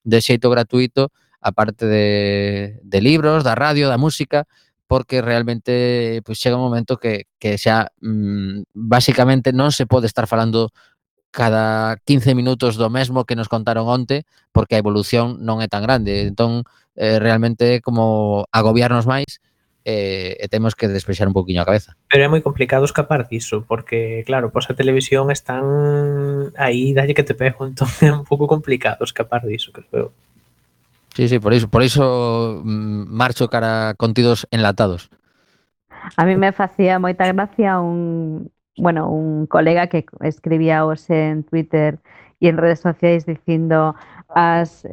de xeito gratuito a parte de libros, da radio, da música, porque realmente pois chega un momento que xa basicamente non se pode estar falando cada 15 minutos do mesmo que nos contaron onte, porque a evolución non é tan grande. Entón, realmente é como agobiarnos máis e temos que despexar un poquinho a cabeza. Pero é moi complicado escapar diso, porque, claro, pois a televisión están aí, dalle que te pego, entón é un pouco complicado escapar diso, creo eu. Sí, por iso marcho cara a contidos enlatados. A mí me facía moita gracia un colega que escribía hoxe en Twitter e en redes sociais dicindo as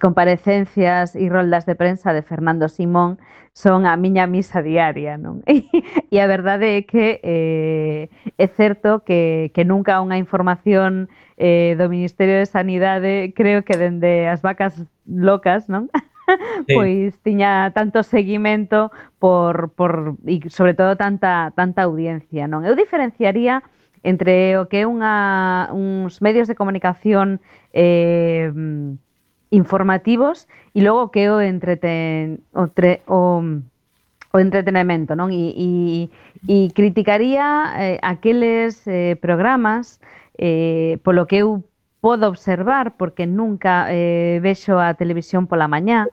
comparecencias e roldas de prensa de Fernando Simón son a miña misa diaria, non? E a verdade é que é certo que nunca unha información do Ministerio de Sanidade, creo que dende as vacas locas, non? Sí. Pois tiña tanto seguimento e sobre todo tanta audiencia, non? Eu diferenciaría entre o que é uns medios de comunicación informativos e logo o que é o entretenimento, non? E criticaría aqueles programas polo que eu podo observar, porque nunca vexo a televisión pola mañá,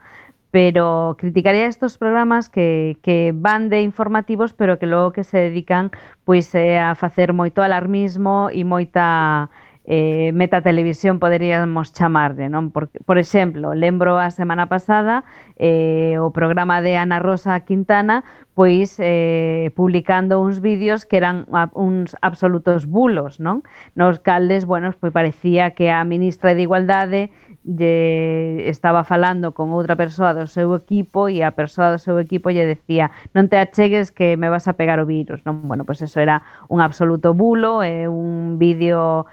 pero criticaría estos programas que van de informativos, pero que logo que se dedican pois a facer moito alarmismo e moita metatelevisión, poderíamos chamarlle, non? Por exemplo, lembro a semana pasada o programa de Ana Rosa Quintana pois publicando uns vídeos que eran uns absolutos bulos, non? Nos caldes, bueno, pois parecía que a ministra de Igualdade estaba falando con outra persoa do seu equipo e a persoa do seu equipo lle decía non te achegues que me vas a pegar o virus, non? Bueno, pois eso era un absoluto bulo, era un vídeo,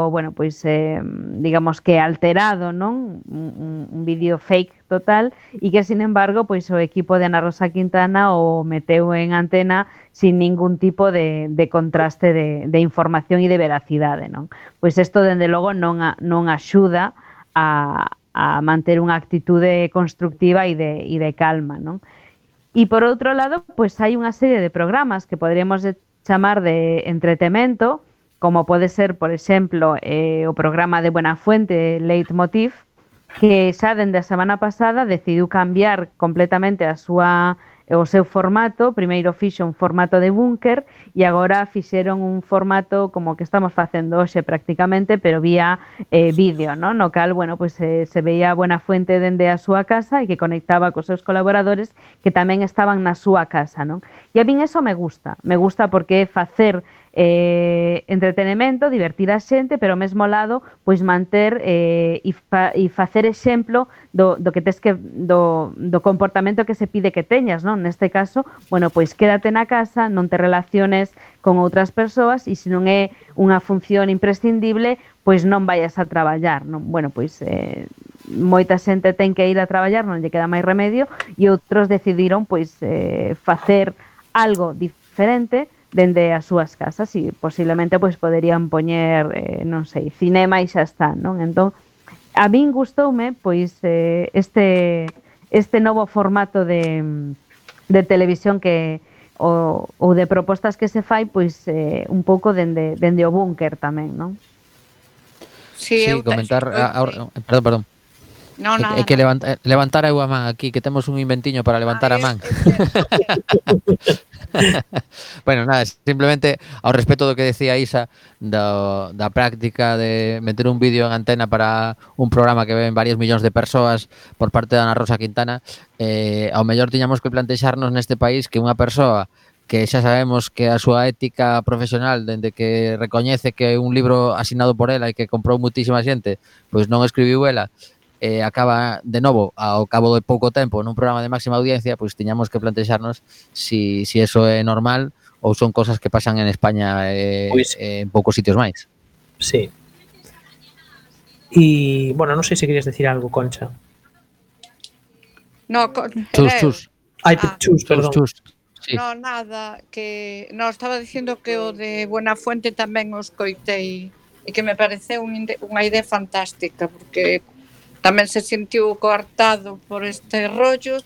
bueno, pois digamos que alterado, non? Un vídeo fake total e que, sin embargo, pois o equipo de Ana Rosa Quintana o meteu en antena sin ningún tipo de contraste de información e de veracidade, non? Pois isto, dende logo, non axuda a manter unha actitude constructiva e de calma, non? E, por outro lado, pois hai unha serie de programas que poderíamos chamar de entretemento, como pode ser, por exemplo, o programa de Buenafuente, Leitmotiv, que xa dende a semana pasada decidiu cambiar completamente o seu formato. Primeiro fixo un formato de búnker e agora fixeron un formato como que estamos facendo hoxe prácticamente, pero vía vídeo, non? No cal, bueno, pois se veía a Buenafuente dende a súa casa e que conectaba cos seus colaboradores que tamén estaban na súa casa, non? E a min eso me gusta porque é facer entretenimento, divertir a xente, pero ao mesmo lado pois manter e facer exemplo do que tes que do comportamento que se pide que teñas, non? Neste caso, bueno, pois quédate na casa, non te relaciones con outras persoas e se non é unha función imprescindible, pois non vayas a traballar, non? Bueno, pois moita xente ten que ir a traballar, non lle queda máis remedio e outros decidiron pois facer algo diferente dende as súas casas e posiblemente pois poderían poñer, non sei, cinema e xa está, non? Entón, a min gustoume pois este novo formato de televisión que ou de propostas que se fai pois un pouco dende o búnker tamén, non? Sí, comentar perdón. No, nada. É que levantar eu a man aquí, que temos un inventiño para levantar a man. Bueno, nada, simplemente ao respecto do que decía Isa da práctica de meter un vídeo en antena para un programa que ven varios millóns de persoas por parte de Ana Rosa Quintana, ao mellor tiñamos que plantexarnos neste país que unha persoa que xa sabemos que a súa ética profesional, dende que recoñece que un libro asinado por ela e que comprou muitísima xente, pois non escribiu ela, acaba de novo ao cabo de pouco tempo nun programa de máxima audiencia, pois tiñamos que plantexarnos si eso é normal ou son cosas que pasan en España en poucos sitios máis. Sí. E, bueno, non sei se querías decir algo, Concha. No, Chus. Ai, chus, perdón. Sí. No, nada, que estaba dicindo que o de Buenafuente tamén os coitei e que me pareceu unha idea fantástica, porque tamén se sentiu coartado por este rollo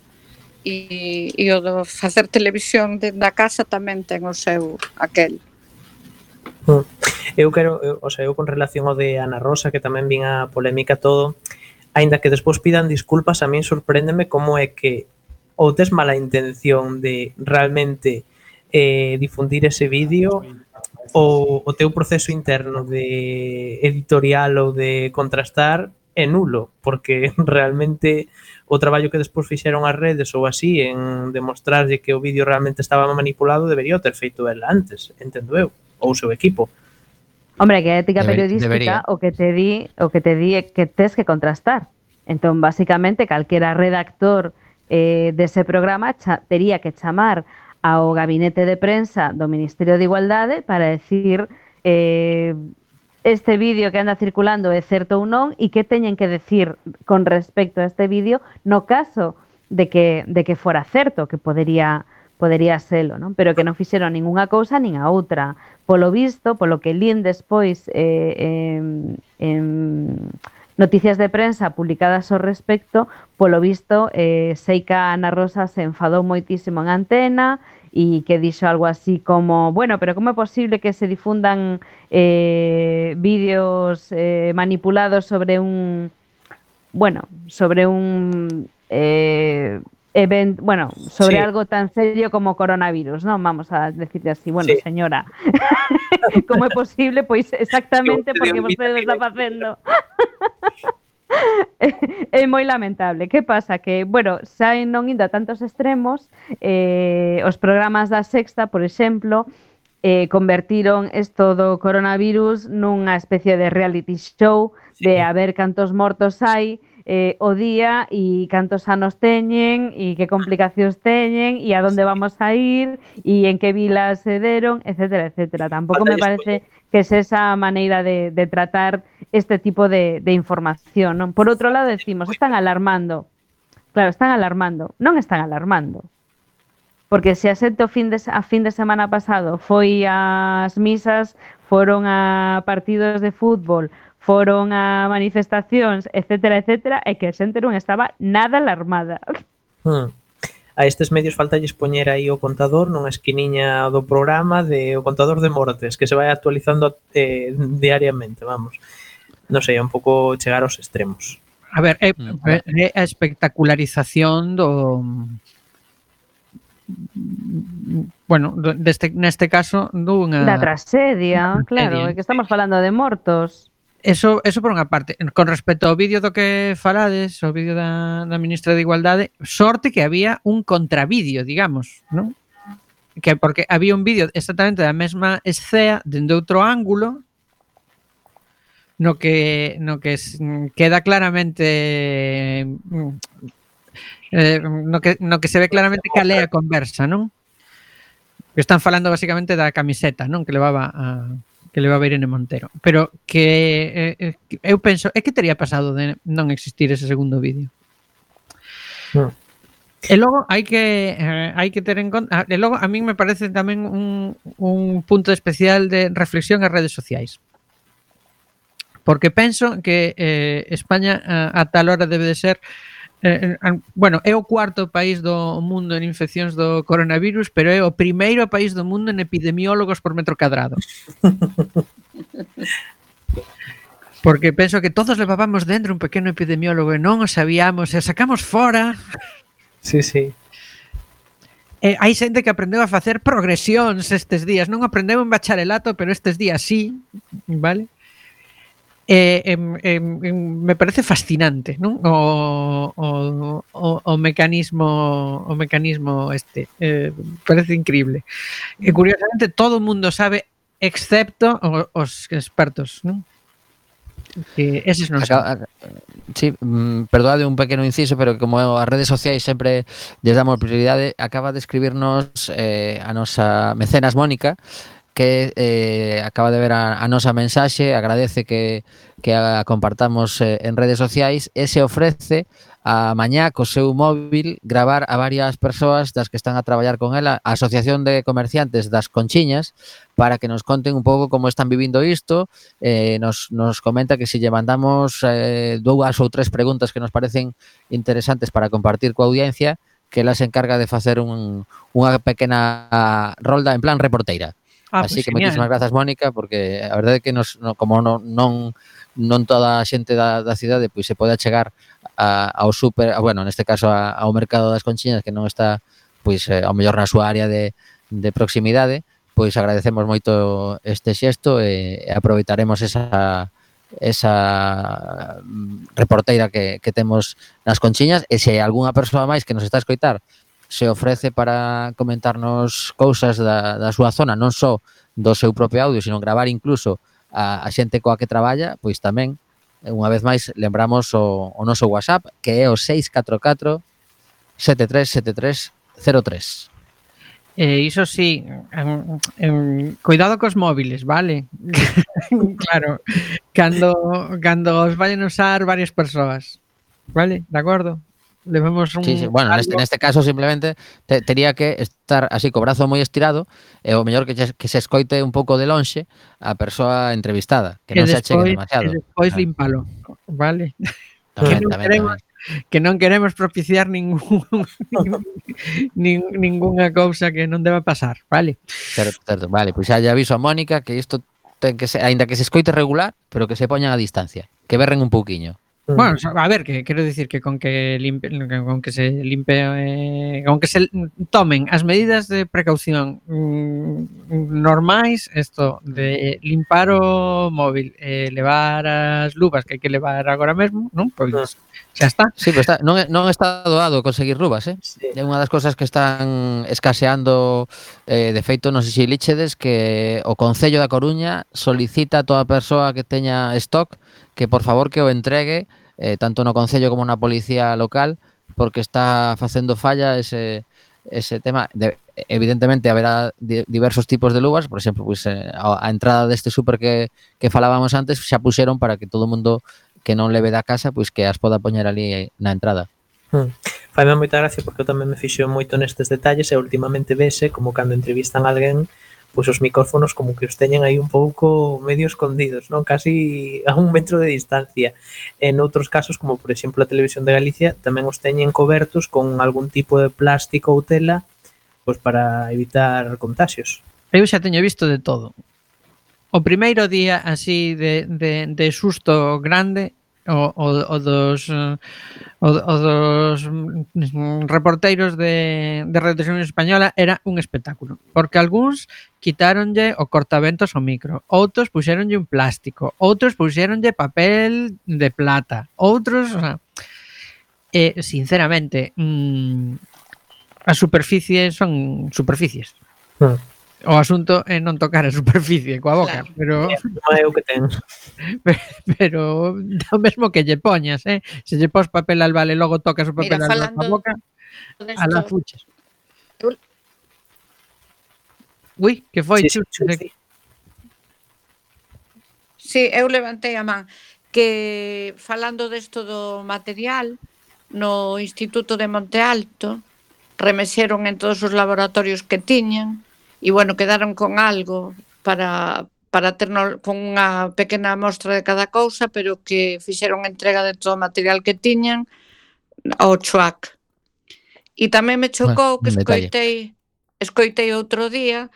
e o de facer televisión dentro da casa tamén ten o seu aquel. Eu con relación ao de Ana Rosa, que tamén vin a polémica todo, aínda que despois pidan disculpas, a min sorpréndeme como é que ou tes mala intención de realmente difundir ese vídeo ou o teu proceso interno de editorial ou de contrastar é nulo, porque realmente o traballo que despois fixeron as redes ou así en demostrarlle que o vídeo realmente estaba manipulado debería ter feito ela antes, entendo eu, ou o seu equipo. Hombre, que a ética periodística debería. o que te di é que tes que contrastar. Entón, basicamente, calquera redactor dese programa tería que chamar ao gabinete de prensa do Ministerio de Igualdade para decir este vídeo que anda circulando é certo ou non e que teñen que decir con respecto a este vídeo no caso de que fora certo, que podería selo, non? Pero que non fixeron ningunha cousa nin a outra. Polo visto, polo que lín despois en noticias de prensa publicadas ao respecto, polo visto, sei que a Ana Rosa se enfadou moitísimo en Antena e que dixo algo así como, bueno, pero como é posible que se difundan vídeos manipulados sobre un sobre Sí. algo tan serio como coronavirus, non? Vamos a decirle así, bueno, Sí. señora, como é posible? Pois exactamente Sí, porque olvida vostede que está facendo. É moi lamentable. Que pasa? Que, bueno, xa non indo a tantos extremos, os programas da Sexta, por exemplo, convertiron isto do coronavirus nunha especie de reality show de a ver cantos mortos hai o día e cantos anos teñen e que complicacións teñen e a donde vamos a ir e en que vilas se deron, etcétera, etcétera. Tampouco me parece que es esa maneira de tratar este tipo de información, non? Por outro lado, decimos, están alarmando. Claro, están alarmando. Non están alarmando. Porque se a xente a fin de semana pasado foi ás misas, foron a partidos de fútbol, foron a manifestacións, etcétera, etcétera, e que a xente non estaba nada alarmada. A estes medios faltalles poñer aí o contador nunha esquiniña do programa o contador de mortes, que se vai actualizando diariamente, vamos. Non sei, un pouco chegar aos extremos. A ver, é a espectacularización do... Bueno, neste caso dunha... Da tragedia, claro, é que estamos falando de mortos. Eso por unha parte. Con respecto ao vídeo do que falades, o vídeo da ministra de Igualdade, sorte que había un contravídeo, digamos, non? Porque había un vídeo exactamente da mesma escena dende outro ángulo no que queda claramente no que se ve claramente cal é a conversa, non? Que están falando basicamente da camiseta, non? Que levaba Irene Montero. Pero que eu penso, que teria pasado de non existir ese segundo vídeo? E logo hai que ter en conta, e logo a min me parece tamén un punto especial de reflexión as redes sociais. Porque penso que España a tal hora debe de ser bueno, é o cuarto país do mundo en infeccións do coronavirus, pero é o primeiro país do mundo en epidemiólogos por metro cadrado. Porque penso que todos levábamos dentro un pequeno epidemiólogo e non o sabíamos, e sacamos fora. Sí, sí. Hai xente que aprendeu a facer progresións estes días, non aprendeu en bacharelato, pero estes días sí, vale? Me parece fascinante, non? O mecanismo este parece increíble. E curiosamente todo o mundo sabe excepto os expertos, non? Que eses non saben. Sí, perdoade un pequeno inciso, pero como as redes sociais sempre lles damos prioridade, acaba de escribirnos a nosa mecenas Mónica, que acaba de ver a nosa mensaxe, agradece que a compartamos en redes sociais e se ofrece a mañá co seu móvil gravar a varias persoas das que están a traballar con ela, a Asociación de Comerciantes das Conchiñas, para que nos conten un pouco como están vivindo isto. Nos comenta que se lle mandamos 2 ou 3 preguntas que nos parecen interesantes para compartir coa audiencia, que ela se encarga de facer unha pequena rolda en plan reporteira. Así Pues que genial. moitísimas grazas, Mónica, porque a verdade é que como non toda a xente da cidade pois se pode achegar ao super, bueno, neste caso ao mercado das Conchiñas, que non está pois ao mellor na súa área de proximidade, pois agradecemos moito este xesto e aproveitaremos esa reporteira que temos nas Conchiñas, e se hai algunha persoa máis que nos está a escoitar se ofrece para comentarnos cousas da súa zona, non só do seu propio audio, sino gravar incluso a xente coa que traballa, pois tamén, unha vez máis, lembramos o noso WhatsApp, que é o 644 737303. Iso sí, cuidado cos móviles, vale? Claro, cando os vayan usar varias persoas, vale? De acordo? Levemos un... Sí, bueno, neste caso simplemente tería que estar así co brazo moi estirado e o mellor que se escoite un pouco de lonxe a persoa entrevistada, que non se achegue demasiado. E despois límpalo, vale? Tamén. Que non queremos propiciar ningunha cousa que non deba pasar, vale? Certo. Vale, pois xa lle aviso a Mónica que isto ten que ser, aínda que se escoite regular, pero que se poñan a distancia, que berren un pouquiño. Bueno, a ver, que quero dicir que con que se tomen as medidas de precaución normais, isto de limpar o móvil, levar as luvas que hai que levar agora mesmo, non? Pois xa está. Sí, pero non está doado conseguir luvas, Sí. É unha das cousas que están escaseando, de feito, non sei se lichedes que o Concello da Coruña solicita a toda persoa que teña stock que por favor que o entregue tanto no Concello como na Policía Local, porque está facendo falla ese tema. Evidentemente haberá diversos tipos de luvas, por exemplo, pues, a entrada deste súper que falábamos antes xa puxeron para que todo o mundo que non leve da casa, pois que as poda poñer ali na entrada. Faime moita gracia porque eu tamén me fixo moito nestes detalles e últimamente vese como cando entrevistan a alguén, pois os micrófonos como que os teñen aí un pouco medio escondidos, non? Casi a 1 metro de distancia. En outros casos, como por exemplo a Televisión de Galicia, tamén os teñen cobertos con algún tipo de plástico ou tela, pois para evitar contaxios. Eu xa teño visto de todo. O primeiro día así de susto grande o dos reporteiros de Radio Televisión Española era un espectáculo, porque algúns quitáronlle o cortaventos ao micro, outros puxéronlle un plástico, outros puxéronlle papel de plata, outros, o sea, sinceramente, as superficies son superficies. O asunto é non tocar a superficie coa boca, Claro. pero Non é o que ten. pero o mesmo que lle poñas, se lle pos papel albal e logo tocas o papel Mira, albal coa boca, alá desto, fuches. Eu- Ui, que foi? Sí, Chus? sí. Sí, eu levantei a man que falando desto do material no Instituto de Monte Alto remexeron en todos os laboratorios que tiñan e bueno, quedaron con algo para ternos con unha pequena mostra de cada cousa, pero que fixeron entrega de todo o material que tiñan ao CHUAC. E tamén me chocou que Un detalle. escoitei outro día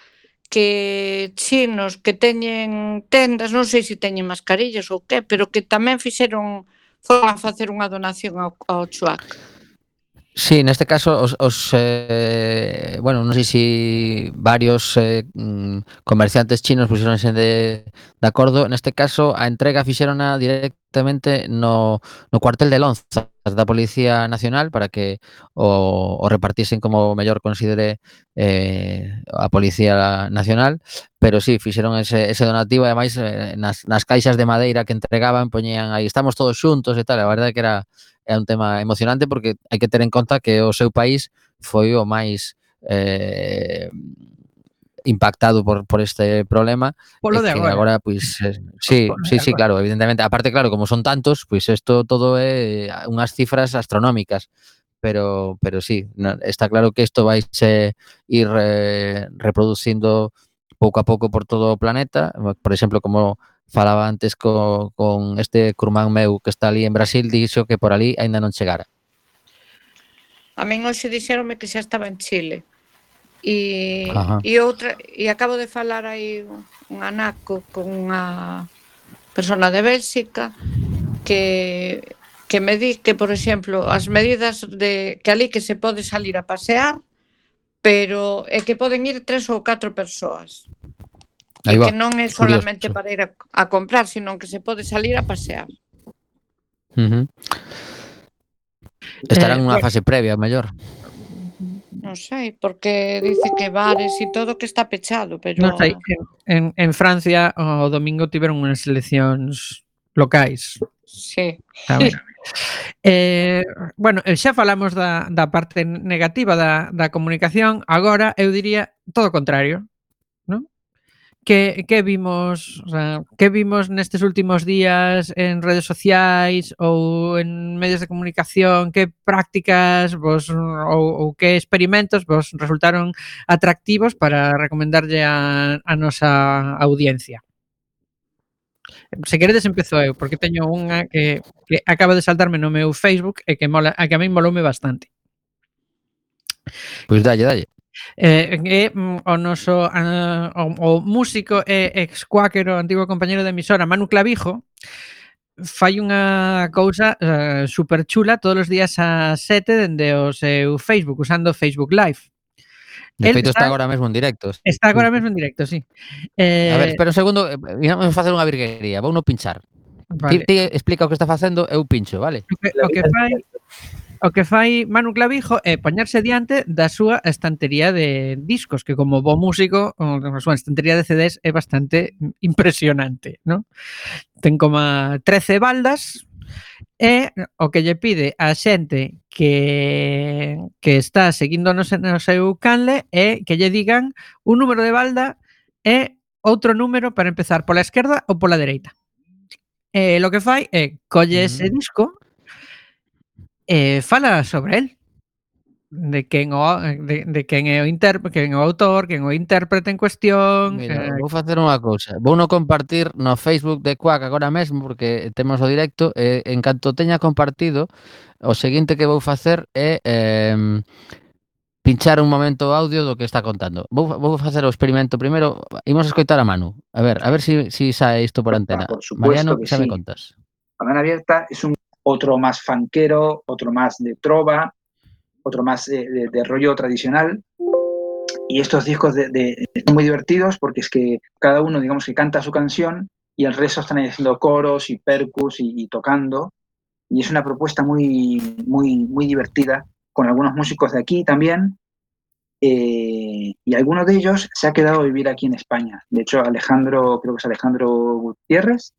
que chinos que teñen tendas, non sei se teñen mascarillas ou que, pero que tamén foron a facer unha donación ao CHUAC. Sí, neste caso bueno, non sei se varios comerciantes chinos puxeronse de acordo. Neste caso, a entrega fixérona directamente no cuartel de Lonzas da Policía Nacional para que o repartisen como mellor considere a Policía Nacional, pero sí, fixeron ese donativo, e ademais nas caixas de madeira que entregaban poñían aí, estamos todos xuntos e tal. A verdade que é un tema emocionante porque hai que ter en conta que o seu país foi o máis impactado por este problema. Polo de que agora. agora, pois, sí, claro, evidentemente. Aparte, claro, como son tantos, pois isto todo é unhas cifras astronómicas. Pero sí, está claro que isto vai ir reproducindo pouco a pouco por todo o planeta. Por exemplo, como falaba antes con este curmán meu que está ali en Brasil, dixo que por ali aínda non chegara. A min hoxe dixeronme que xa estaba en Chile. E acabo de falar aí un anaco con unha persona de Bélxica que me di que, por exemplo, as medidas de que ali que se pode salir a pasear, pero é que poden ir 3 ou 4 persoas. E que non é solamente para ir a comprar, sino que se pode salir a pasear. Estarán nunha fase previa, mellor. Non sei, porque dice que bares e todo que está pechado, pero... Non sei, en Francia o domingo tiveron unhas eleccións locais. Sí. Bueno, xa falamos da parte negativa da comunicación, agora eu diría todo o contrario, non? Que vimos, o sea, que vimos nestes últimos días en redes sociais ou en medios de comunicación, que prácticas vos ou que experimentos vos resultaron atractivos para recomendarlle a nosa audiencia? Se queredes empezo eu, porque teño unha que acaba de saltarme no meu Facebook e que a min moloume bastante. Pois dalle. O noso o músico e ex-cuáquero, antigo compañeiro de emisora, Manu Clavijo, fai unha cousa super chula todos os días ás 7 dende o seu Facebook, usando Facebook Live. De feito, está agora mesmo en directo. Está agora mesmo en directo, sí. A ver, espera un segundo, vamos a facer unha virguería, vou no pinchar. Vale. Ti explica o que está facendo, eu pincho, vale? O que fai Manu Clavijo é poñerse diante da súa estantería de discos, que como bo músico, a súa estantería de CDs é bastante impresionante, non? Ten como 13 baldas e o que lle pide a xente que está seguindo no seu canle é que lle digan un número de balda e outro número para empezar pola esquerda ou pola dereita. Lo que fai é colle ese disco fala sobre el, de quen é o autor, quen o intérprete en cuestión. Mira, vou facer unha cousa, vou no compartir no Facebook de Quack agora mesmo, porque temos o directo, e en canto teña compartido, o seguinte que vou facer é pinchar un momento o audio do que está contando. Vou facer o experimento primeiro, imos escoitar a Manu, a ver si sae isto por antena. Por supuesto, Mariano, que xa sí. me contas. Cadena Abierta es otro más funkero, otro más de trova, otro más de rollo tradicional. Y estos discos son muy divertidos porque es que cada uno, digamos, que canta su canción y el resto están haciendo coros y percus y tocando. Y es una propuesta muy, muy, muy divertida, con algunos músicos de aquí también. Y alguno de ellos se ha quedado a vivir aquí en España. De hecho, creo que es Alejandro Gutiérrez,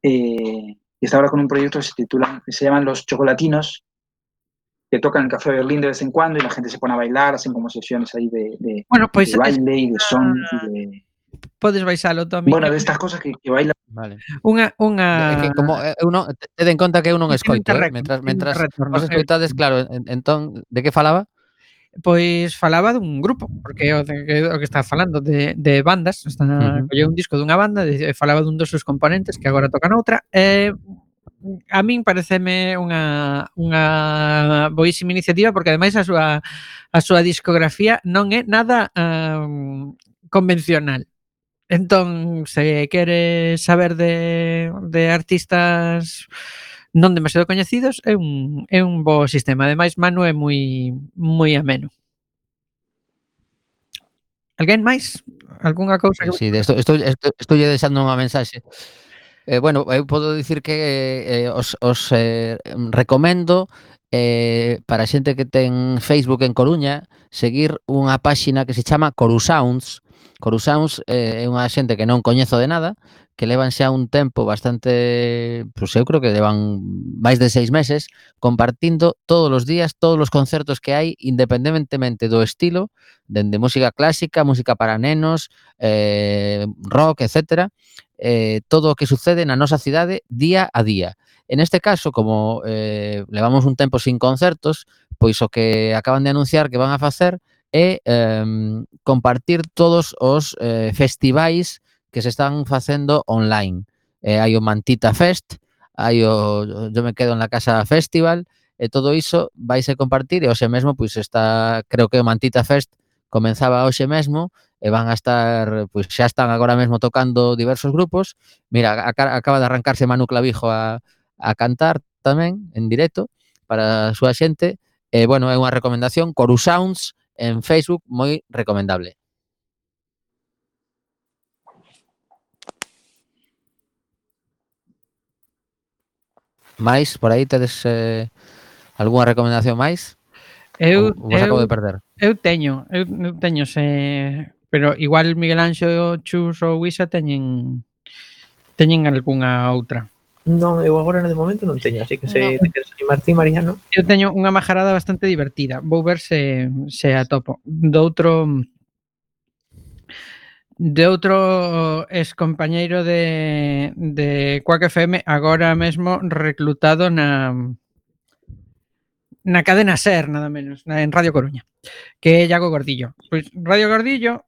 y está ahora con un proyecto que se llaman Los Chocolatinos, que tocan en Café Berlín de vez en cuando y la gente se pone a bailar, hacen como sesiones ahí de baile y de son. Podes baixalo, Tommy. Bueno, de estas cosas que bailan. Vale. Unha... Que como eu non, ten en conta que eu non escoito, mentras vos escoitades, claro, entón, de que falaba? Pois falaba dun grupo, porque o que está falando de bandas, colleu un disco dunha banda, falaba dun dos seus componentes que agora tocan outra, a min pareceme unha boísima iniciativa porque ademais a súa discografía non é nada convencional. Entón, se queres saber de artistas non demasiado coñecidos, é un bo sistema. Ademais, Manu é moi ameno. Alguén máis? Algúnha cousa? Sí, estou lle deixando unha mensaxe. Bueno, eu podo dicir que os recomendo para a xente que ten Facebook en Coruña seguir unha páxina que se chama Corusounds. Corusounds é unha xente que non coñezo de nada, que levan xa un tempo bastante, pois eu creo que levan máis de 6 meses compartindo todos os días todos os concertos que hai, independentemente do estilo, dende música clásica, música para nenos, rock, etcétera, todo o que sucede na nosa cidade día a día. En este caso, como levamos un tempo sin concertos, pois o que acaban de anunciar que van a facer é compartir todos os festivais que se están facendo online. Hai o Mantita Fest, hai o Yo me quedo en la casa festival, e todo iso vaise compartir, e hoxe mesmo, pois está, creo que o Mantita Fest comenzaba hoxe mesmo, e van a estar, pois xa están agora mesmo tocando diversos grupos. Mira, acaba de arrancarse Manu Clavijo a cantar tamén en directo para a súa xente. E, bueno, é unha recomendación, Coru Sounds en Facebook, moi recomendable. Mais, por aí tedes algunha recomendación máis? Eu Vos acabo de perder. Eu teño, pero igual Miguel Anxo, Chus ou Isa teñen algunha outra. Non, eu agora de momento non teño, así que se te queres animar ti, Mariano. Eu teño unha majarada bastante divertida. Vou ver se atopo. De outro ex compañeiro de Quack FM, agora mesmo reclutado na cadena SER, nada menos, en Radio Coruña, que é Iago Gordillo. Pois Radio Gordillo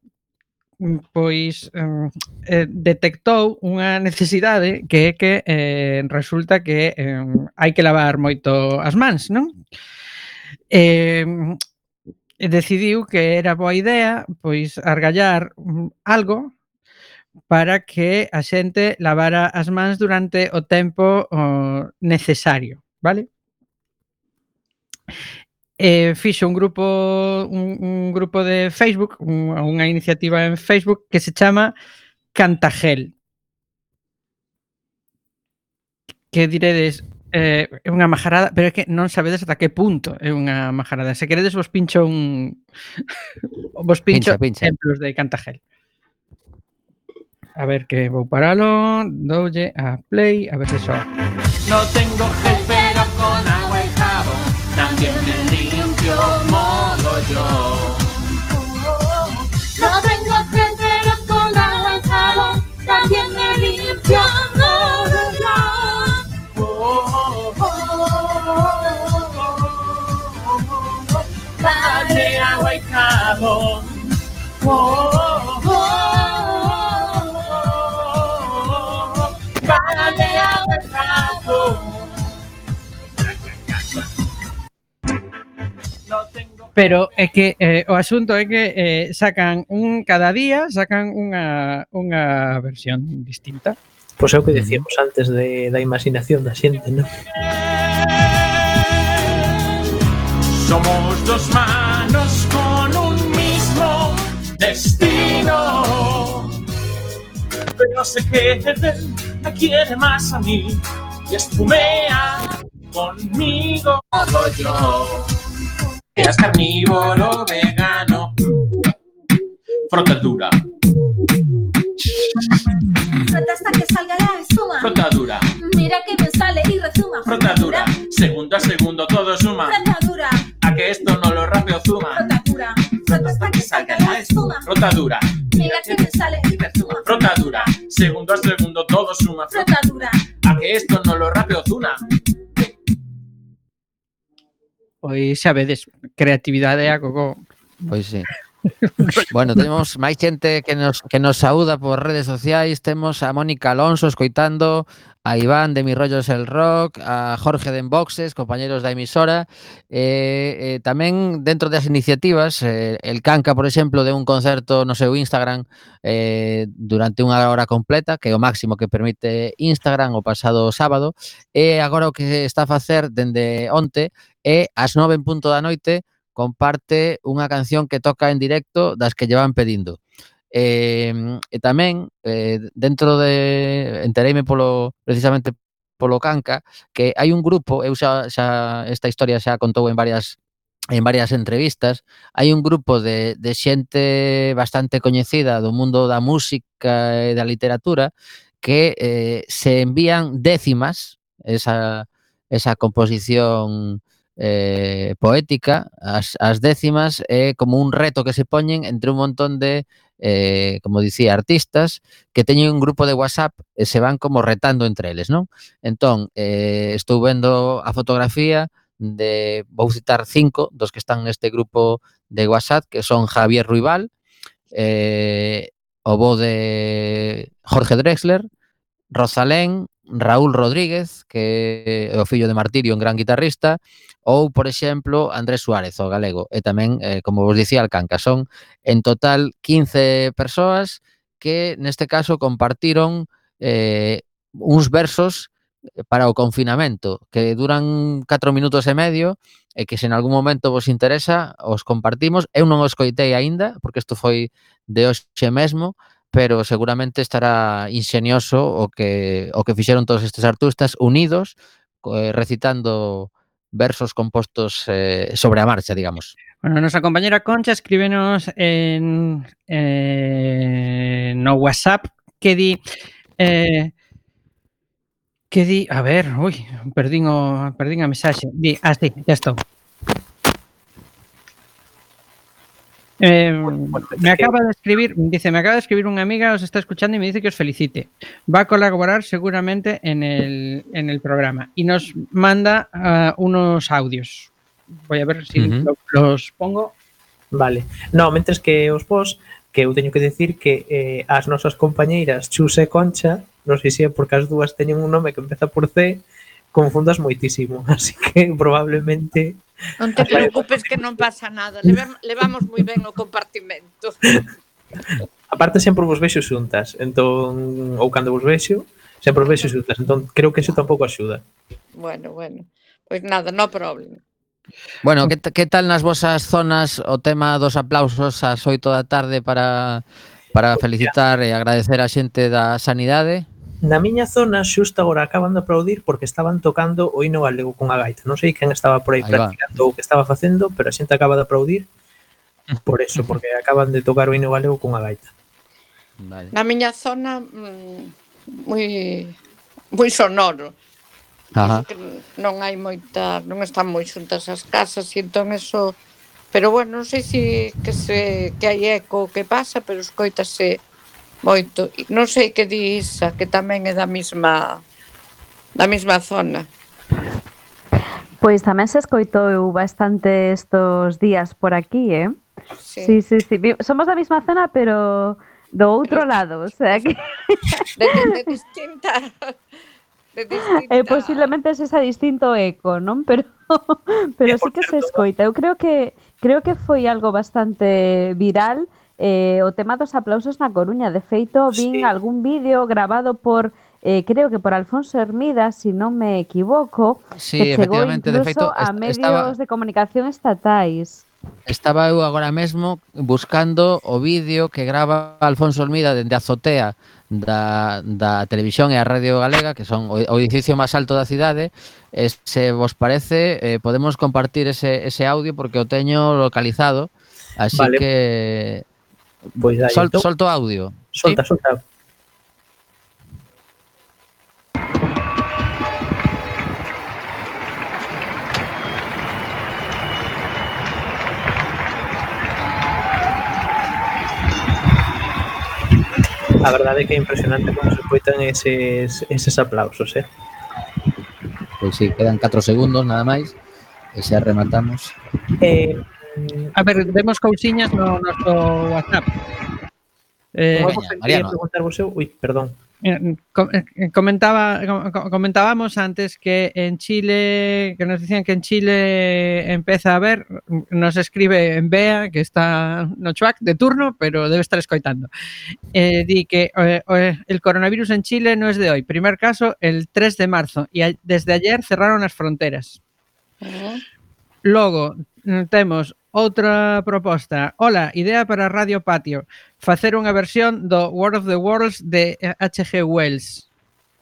detectou unha necesidade que é que resulta que hai que lavar moito as mans, non? Decidiu que era boa idea pois argallar algo para que a xente lavara as mans durante o tempo necesario, vale? Fixo un grupo de Facebook, unha iniciativa en Facebook que se chama Cantagel. Que diredes, é unha majarada, pero é que non sabedes ata que punto é unha majarada. Se queredes vos pincho Pincha. exemplos de Cantagel. A ver, que vou paralo, doulle a play, a ver se soa. No tengo gel, pero con agua y jabón también me limpio mogollón. No tengo gel, pero con agua y jabón también me limpio mogollón. Dale agua y jabón. Dale agua y jabón. Pero é que o asunto é que sacan cada día sacan unha versión distinta. Pois é o que decíamos antes da imaginación da xente, non? Somos dos manos con un mismo destino. Pero sé que él me quiere más a mí y espumea conmigo yo. Eras carnívoro, vegano, frotadura. Frota hasta que salga la espuma. Frotadura. Mira que me sale y rezuma. Frotadura. Segundo a segundo todo suma. Frotadura. A que esto no lo rapeo zuma. Frotadura. Frota hasta que salga la espuma. Frotadura. Mira que me sale y rezuma. Frotadura. Segundo a segundo todo suma. Frotadura. A que esto no lo rapeo zuma. Pois xa vedes, creatividade a gogo. Pois sí. Bueno, temos máis xente que nos saúda por redes sociais. Temos a Mónica Alonso escoitando, a Iván de Mi Rollos el Rock, a Jorge de Enboxes, compañeros da emisora. Tamén dentro das iniciativas, el Canca, por exemplo, de un concerto no seu Instagram durante unha hora completa, que é o máximo que permite Instagram o pasado sábado. E agora o que está a facer dende onte é ás 9 en punto da noite comparte unha canción que toca en directo das que llevan pedindo. E tamén, dentro de... Entereime precisamente polo Canca, que hai un grupo, eu xa esta historia xa contou en varias entrevistas, hai un grupo de xente bastante coñecida do mundo da música e da literatura que se envían décimas, esa composición poética, as décimas é como un reto que se poñen entre un montón de, como dicía, artistas que teñen un grupo de WhatsApp e se van como retando entre eles, non? Entón, estou vendo a fotografía vou citar 5 dos que están neste grupo de WhatsApp, que son Javier Ruibal, o bo de Jorge Drexler, Rosalén, Raúl Rodríguez, que é o fillo de Martirio, un gran guitarrista, ou, por exemplo, Andrés Suárez, o galego, e tamén, como vos dicía, Alcanca. Son, en total, 15 persoas que, neste caso, compartiron uns versos para o confinamento, que duran 4 minutos e medio, e que se en algún momento vos interesa, os compartimos. Eu non os coitei aínda, porque isto foi de hoxe mesmo, pero seguramente estará ingenioso o que fixeron todos estes artistas unidos, recitando versos compostos sobre a marcha, digamos. Bueno, nosa compañera Concha escríbenos no WhatsApp que di a ver, perdín a mensaxe. Di, sí, ya estou. Me acaba de escribir unha amiga, os está escuchando y me dice que os felicite. Va a colaborar seguramente en el programa y nos manda unos audios. Voy a ver si los pongo. Vale. No, mentres que os vos, que eu teño que decir que as nosas compañeiras Chus e Concha, non sei se é porque as dúas teñen un nome que empeza por C, confundas moitísimo, así que probablemente... Non te preocupes que non pasa nada, levamos moi ben o compartimento. Aparte sempre vos vexo xuntas, entón, ou cando vos vexo, sempre vos vexo xuntas, entón creo que iso tampouco axuda. Bueno, pois nada, no problema. Bueno, que tal nas vosas zonas o tema dos aplausos ás 8 da tarde para felicitar e agradecer a xente da sanidade? Na miña zona xusto agora acaban de aplaudir porque estaban tocando o hino galego con a gaita. Non sei quen estaba por aí practicando o que estaba facendo, pero a xente acaba de aplaudir por eso, porque acaban de tocar o hino galego con a gaita. Vale. Na miña zona moi sonoro. Ajá. Non hai moita, non están moi xuntas as casas e entón eso, pero bueno, non sei se que hai eco o que pasa, pero escoítase moito. Non sei que di Isa, que tamén é da mesma zona. Pois tamén se escoitou bastante estos días por aquí, Sí. Somos da mesma zona, pero do outro lado, o sea que... De distinta... posiblemente sexa distinto eco, non? Pero sí que se escoita. Eu creo que foi algo bastante viral o tema dos aplausos na Coruña. De feito, vin algún vídeo grabado por creo que por Alfonso Hermida, si non me equivoco, que chegou incluso de feito, a medios de comunicación estatais. Estaba eu agora mesmo buscando o vídeo que grava Alfonso Hermida dende a azotea da televisión e a radio galega, que son o edificio máis alto da cidade. Se vos parece, podemos compartir ese audio porque o teño localizado, así vale. Que pues solto audio. Solta. A verdade é que é impresionante como se escoitan eses aplausos, Pois sí, quedan 4 segundos nada máis e xa rematamos. A ver, demos cousiñas no noso WhatsApp. Mariano. Perdón. Comentábamos antes que en Chile, que nos decían que en Chile empeza a haber, nos escribe en Bea, que está no Chuac de turno, pero debe estar escoitando. Di que el coronavirus en Chile no es de hoy. Primer caso, el 3 de marzo, y desde ayer cerraron as fronteras. Logo, temos outra proposta. Hola, idea para Radio Patio. Facer unha versión do War of the Worlds de H.G. Wells.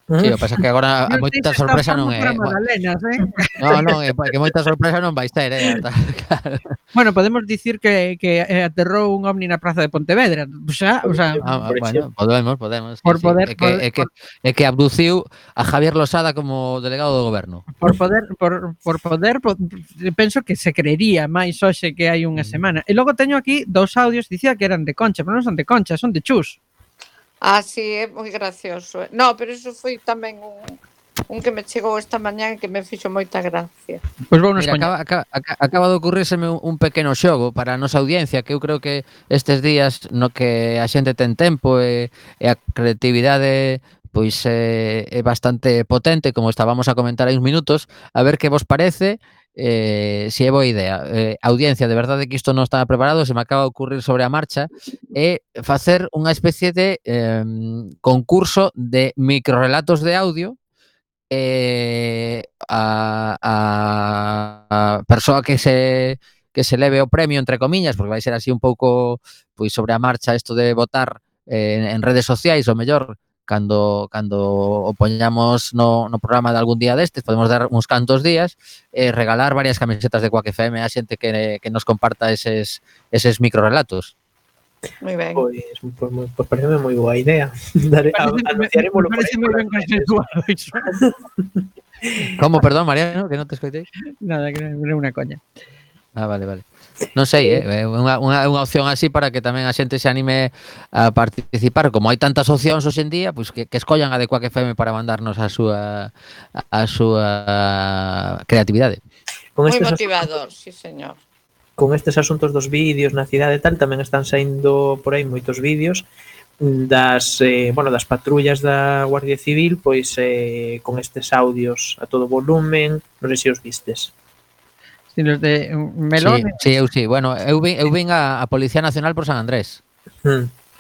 Sí, o pasa que agora Non sei moita se está sorpresa falando non é. para Magdalenas, Non, é que moita sorpresa non vais ter, claro. Bueno, podemos dicir que aterrou un ovni na praza de Pontevedra. O sea, Por Bueno, podemos. por Sí. poder, É que abduciu a Javier Losada como delegado do goberno. por poder, penso que se creería máis hoxe que hai unha semana. E logo teño aquí 2 audios, dicía que eran de Concha, pero non son de Concha, son de Chus. Sí, é moi gracioso. No, pero iso foi tamén un que me chegou esta mañá e que me fixo moita gracia. Pois vou nos Mira, acaba de ocurrírseme un pequeno xogo para a nosa audiencia, que eu creo que estes días no que a xente ten tempo e a creatividade pois é bastante potente, como estábamos a comentar hai uns minutos, a ver que vos parece, se é boa idea. Audiencia, de verdade que isto non estaba preparado, se me acaba de ocurrir sobre a marcha, é facer unha especie de concurso de microrelatos de audio. A persoa que se leve o premio, entre comiñas, porque vai ser así un pouco pois sobre a marcha isto de votar en redes sociais, o mellor cando o poñamos no programa de algún día destes, podemos dar uns cantos días e regalar varias camisetas de Quack FM a xente que nos comparta eses microrelatos. Moi ben. Pois pareceme moi boa idea. Anunciarémolo por Parece moi ben consensuado iso. Como, perdón, Mariano, que non te escoitei? Nada, que non é unha coña. Vale. Non sei, unha opción así para que tamén a xente se anime a participar. Como hai tantas opcións hoxe en día, pois que escollan a de Quack FM para mandarnos a súa creatividade. Moi motivador, sí, señor. Con estes asuntos dos vídeos na cidade e tal, tamén están saindo por aí moitos vídeos das patrullas da Guardia Civil, pois con estes audios a todo volumen, non sei se os vistes. Si los de Melón. Sí. Bueno, eu vin a Policía Nacional por San Andrés.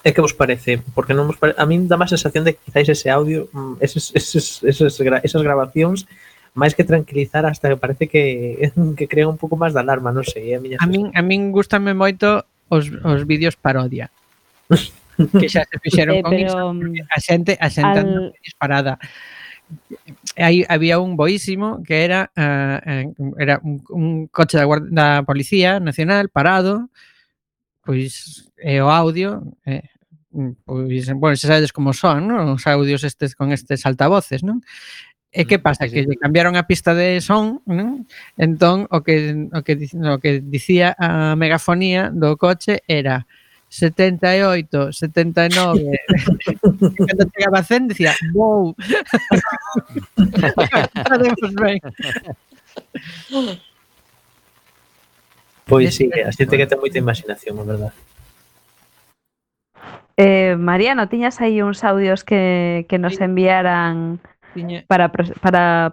É que vos parece? Porque non vos a min dá má sensación de que quizáis ese audio, esas grabacións, máis que tranquilizar, hasta que parece que crea un pouco máis de alarma, non sei, a min gústame moito os vídeos parodia. Que xa se fixeron con iso, a xente anda disparada. Había un boísimo que era un coche da Policía Nacional parado, pois o audio, pois, bueno, se sabedes como son, non? Os audios estes con estes altavoces, non? E que pasa? Que lle cambiaron a pista de son, non? Entón, o que dicía a megafonía do coche era 78, 79. Cando chegaba a 100 decía, wow. Pois sí, a xente que ten moita imaginación, é verdade. Mariano, tiñas aí uns audios que nos enviaran para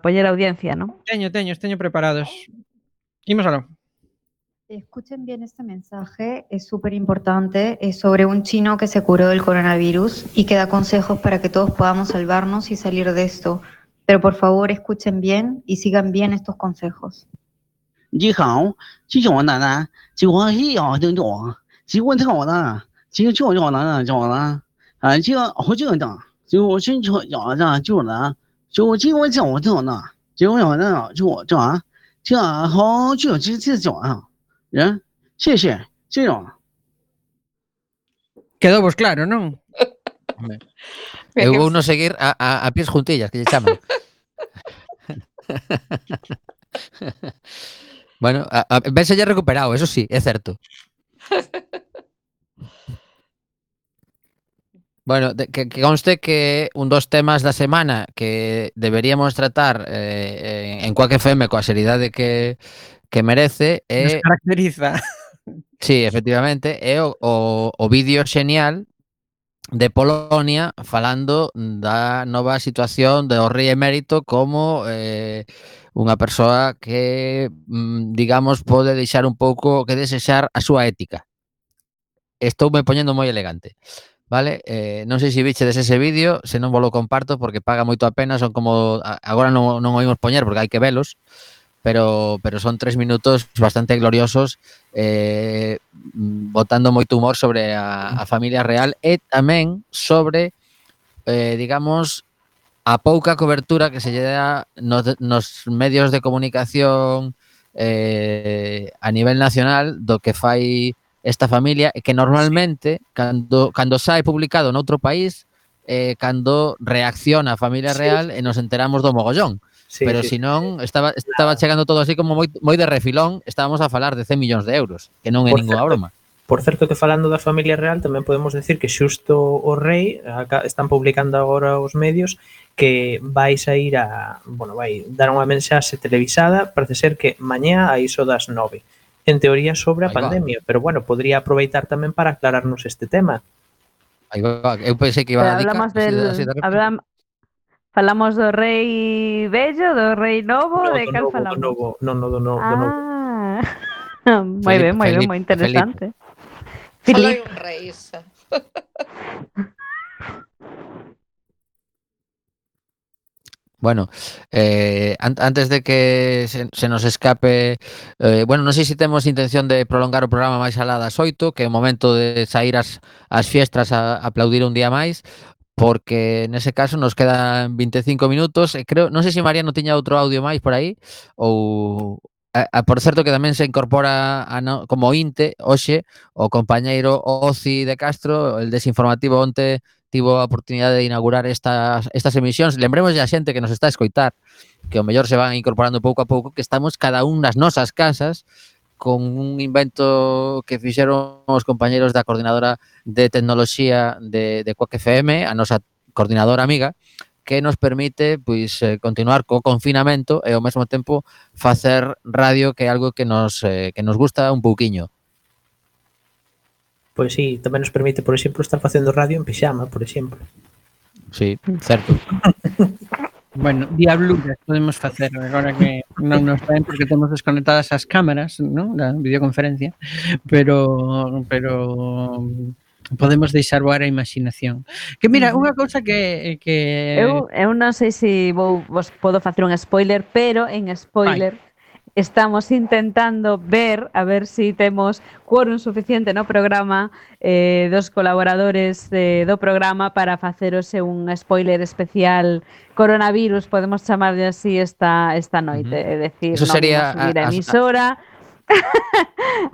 poñer audiencia, ¿no? Teño preparados. Imos aló. Escuchen bien este mensaje, es súper importante, es sobre un chino que se curó del coronavirus y que da consejos para que todos podamos salvarnos y salir de esto. Pero por favor escuchen bien y sigan bien estos consejos. Quedou vos claro, non? Eu vou non seguir a pies juntillas, que lle chaman. Bueno, vense ya recuperado, eso sí, é certo. Bueno, que conste que un dos temas da semana que deberíamos tratar en Quack FM coa seriedade que merece nos caracteriza. Sí, efectivamente, é o vídeo xenial de Polonia falando da nova situación do rei emérito como unha persoa que, digamos, pode deixar un pouco que desexar a súa ética. Estou me poñendo moi elegante, vale? Non sei se vichedes ese vídeo, se non vos lo comparto porque paga moito a pena, son como agora non o imos poñer porque hai que velos, pero son 3 minutos bastante gloriosos botando moito humor sobre a familia real e tamén sobre, digamos, a pouca cobertura que se lle dá nos medios de comunicación a nivel nacional do que fai esta familia, e que normalmente cando sae publicado noutro país cando reacciona a familia real e nos enteramos do mogollón. Sí, Pero sí, si non, estaba chegando todo así como moi de refilón, estábamos a falar de 100 millóns de euros, que non é Por ninguna certo, broma. Por certo que falando da familia real tamén podemos decir que xusto o rei están publicando agora os medios que vai sair vai dar unha mensaxe televisada, parece ser que mañá a iso das 9. En teoría sobre a Aí va. pandemia, pero bueno, podría aproveitar tamén para aclararnos este tema. Aí va, eu pensei que iba a dedicar Hablamos falamos do rei vello, do rei novo, No, de cal falamos? do novo. Moi ben, moi interesante. Solo Filip, hai un rei, Isa. Bueno, antes de que se nos escape, bueno, non sei se temos intención de prolongar o programa máis alá das 8, que é o momento de sair as fiestras a aplaudir un día máis, porque nese caso nos quedan 25 minutos e creo, non sei se Mariano tiña outro audio máis por aí ou por certo que tamén se incorpora como inte hoxe o compañeiro Oci de Castro, el desinformativo onte tivo a oportunidade de inaugurar estas emisións. Lembremos a xente que nos está a escoitar que o mellor se van incorporando pouco a pouco, que estamos cada un nas nosas casas con un invento que fixeron os compañeros da coordinadora de tecnoloxía de Quack FM, a nosa coordinadora amiga, que nos permite pois continuar co confinamento e ao mesmo tempo facer radio, que é algo que nos gusta un pouquiño. Pois sí, tamén nos permite, por exemplo, estar facendo radio en pixama, por exemplo. Sí, certo. Bueno, diabluras podemos facer agora que non nos ven porque temos desconectadas as cámaras, non? Da videoconferencia, pero podemos deixar voar a imaginación. Que mira, unha cousa que eu non sei se vos podo facer un spoiler, pero en spoiler estamos intentando ver a ver si temos quórum suficiente no programa dos colaboradores do programa para faceros un spoiler especial coronavirus, podemos chamarlle así esta noite, é dicir, Eso sería non subir a emisora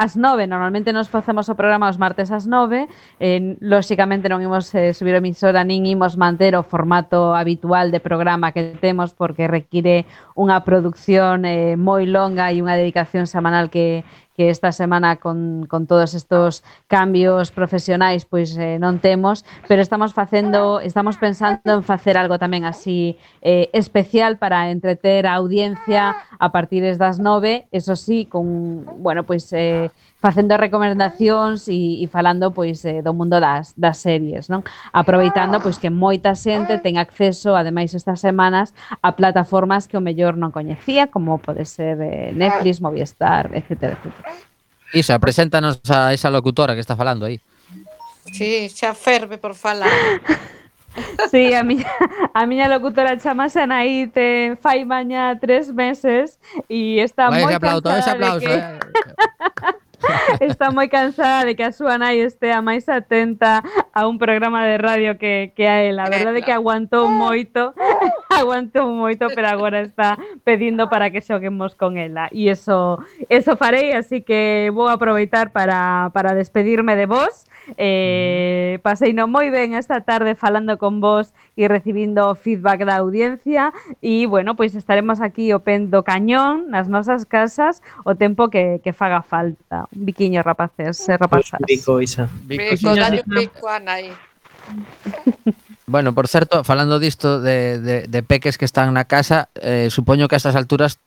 ás 9, normalmente nos facemos o programa os martes ás 9, lóxicamente non imos subir a emisora nin imos manter o formato habitual de programa que temos porque require unha producción moi longa e unha dedicación semanal que esta semana con todos estos cambios profesionais pois non temos, pero estamos pensando en facer algo tamén así especial para entreter a audiencia a partir das 9, eso sí, con, bueno, pois facendo recomendacións e falando pois do mundo das series, non? Aproveitando pois que moita xente ten acceso, ademais estas semanas, a plataformas que o mellor non coñecía, como pode ser Netflix, Movistar, etcétera, etcétera. Isa, preséntanos a esa locutora que está falando aí. Sí, xa ferve por falar. Sí, a miña locutora chamase Anaí, fai mañá 3 meses e está moi cansada está moi cansada de que a súa nai estea máis atenta a un programa de radio que a ela. A verdade é que aguantou moito, pero agora está pedindo para que xoguemos con ela. E eso farei, así que vou aproveitar para despedirme de vos. Paseino moi ben esta tarde falando con vos e recibindo feedback da audiencia e, bueno, pois estaremos aquí o pen do cañón nas nosas casas o tempo que faga falta. Un biquiño, rapaces e rapazas. Bico, Isa. Bico, dalle un pico a Anaí. Bueno, por certo, falando disto de peques que están na casa, supoño que a estas alturas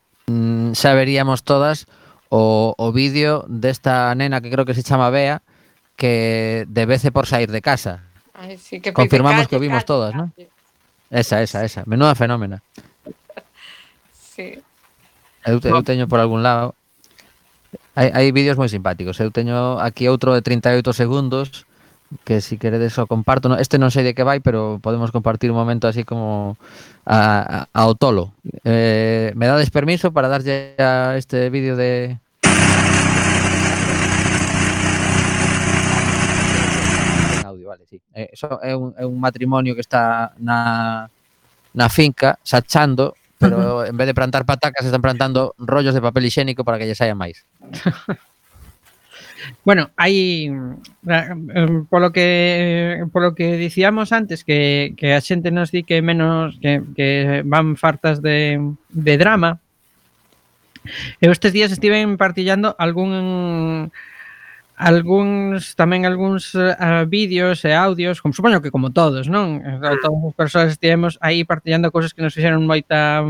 xa veríamos todas o vídeo desta nena que creo que se chama Bea, que debece por sair de casa. Ay, sí, que confirmamos que o vimos todas, ¿no? Esa. Menuda fenómena. Sí. Eu teño por algún lado. Hai vídeos moi simpáticos. Eu teño aquí outro de 38 segundos que si queredes o comparto. Este non sei de que vai, pero podemos compartir un momento así como ao tolo. Me dades permiso para darlle a este vídeo de... Audio, vale, sí. Eso é un matrimonio que está na na finca, sachando, pero en vez de plantar patacas están plantando rollos de papel higiénico para que lle saia máis. Bueno, hai polo que dicíamos antes que a xente nos di que menos que van fartas de drama. Eu estes días estiven partillando algúns vídeos e audios, como supoño que como todos, non? Todas as persoas estivemos aí partillando cousas que nos fixeron moita...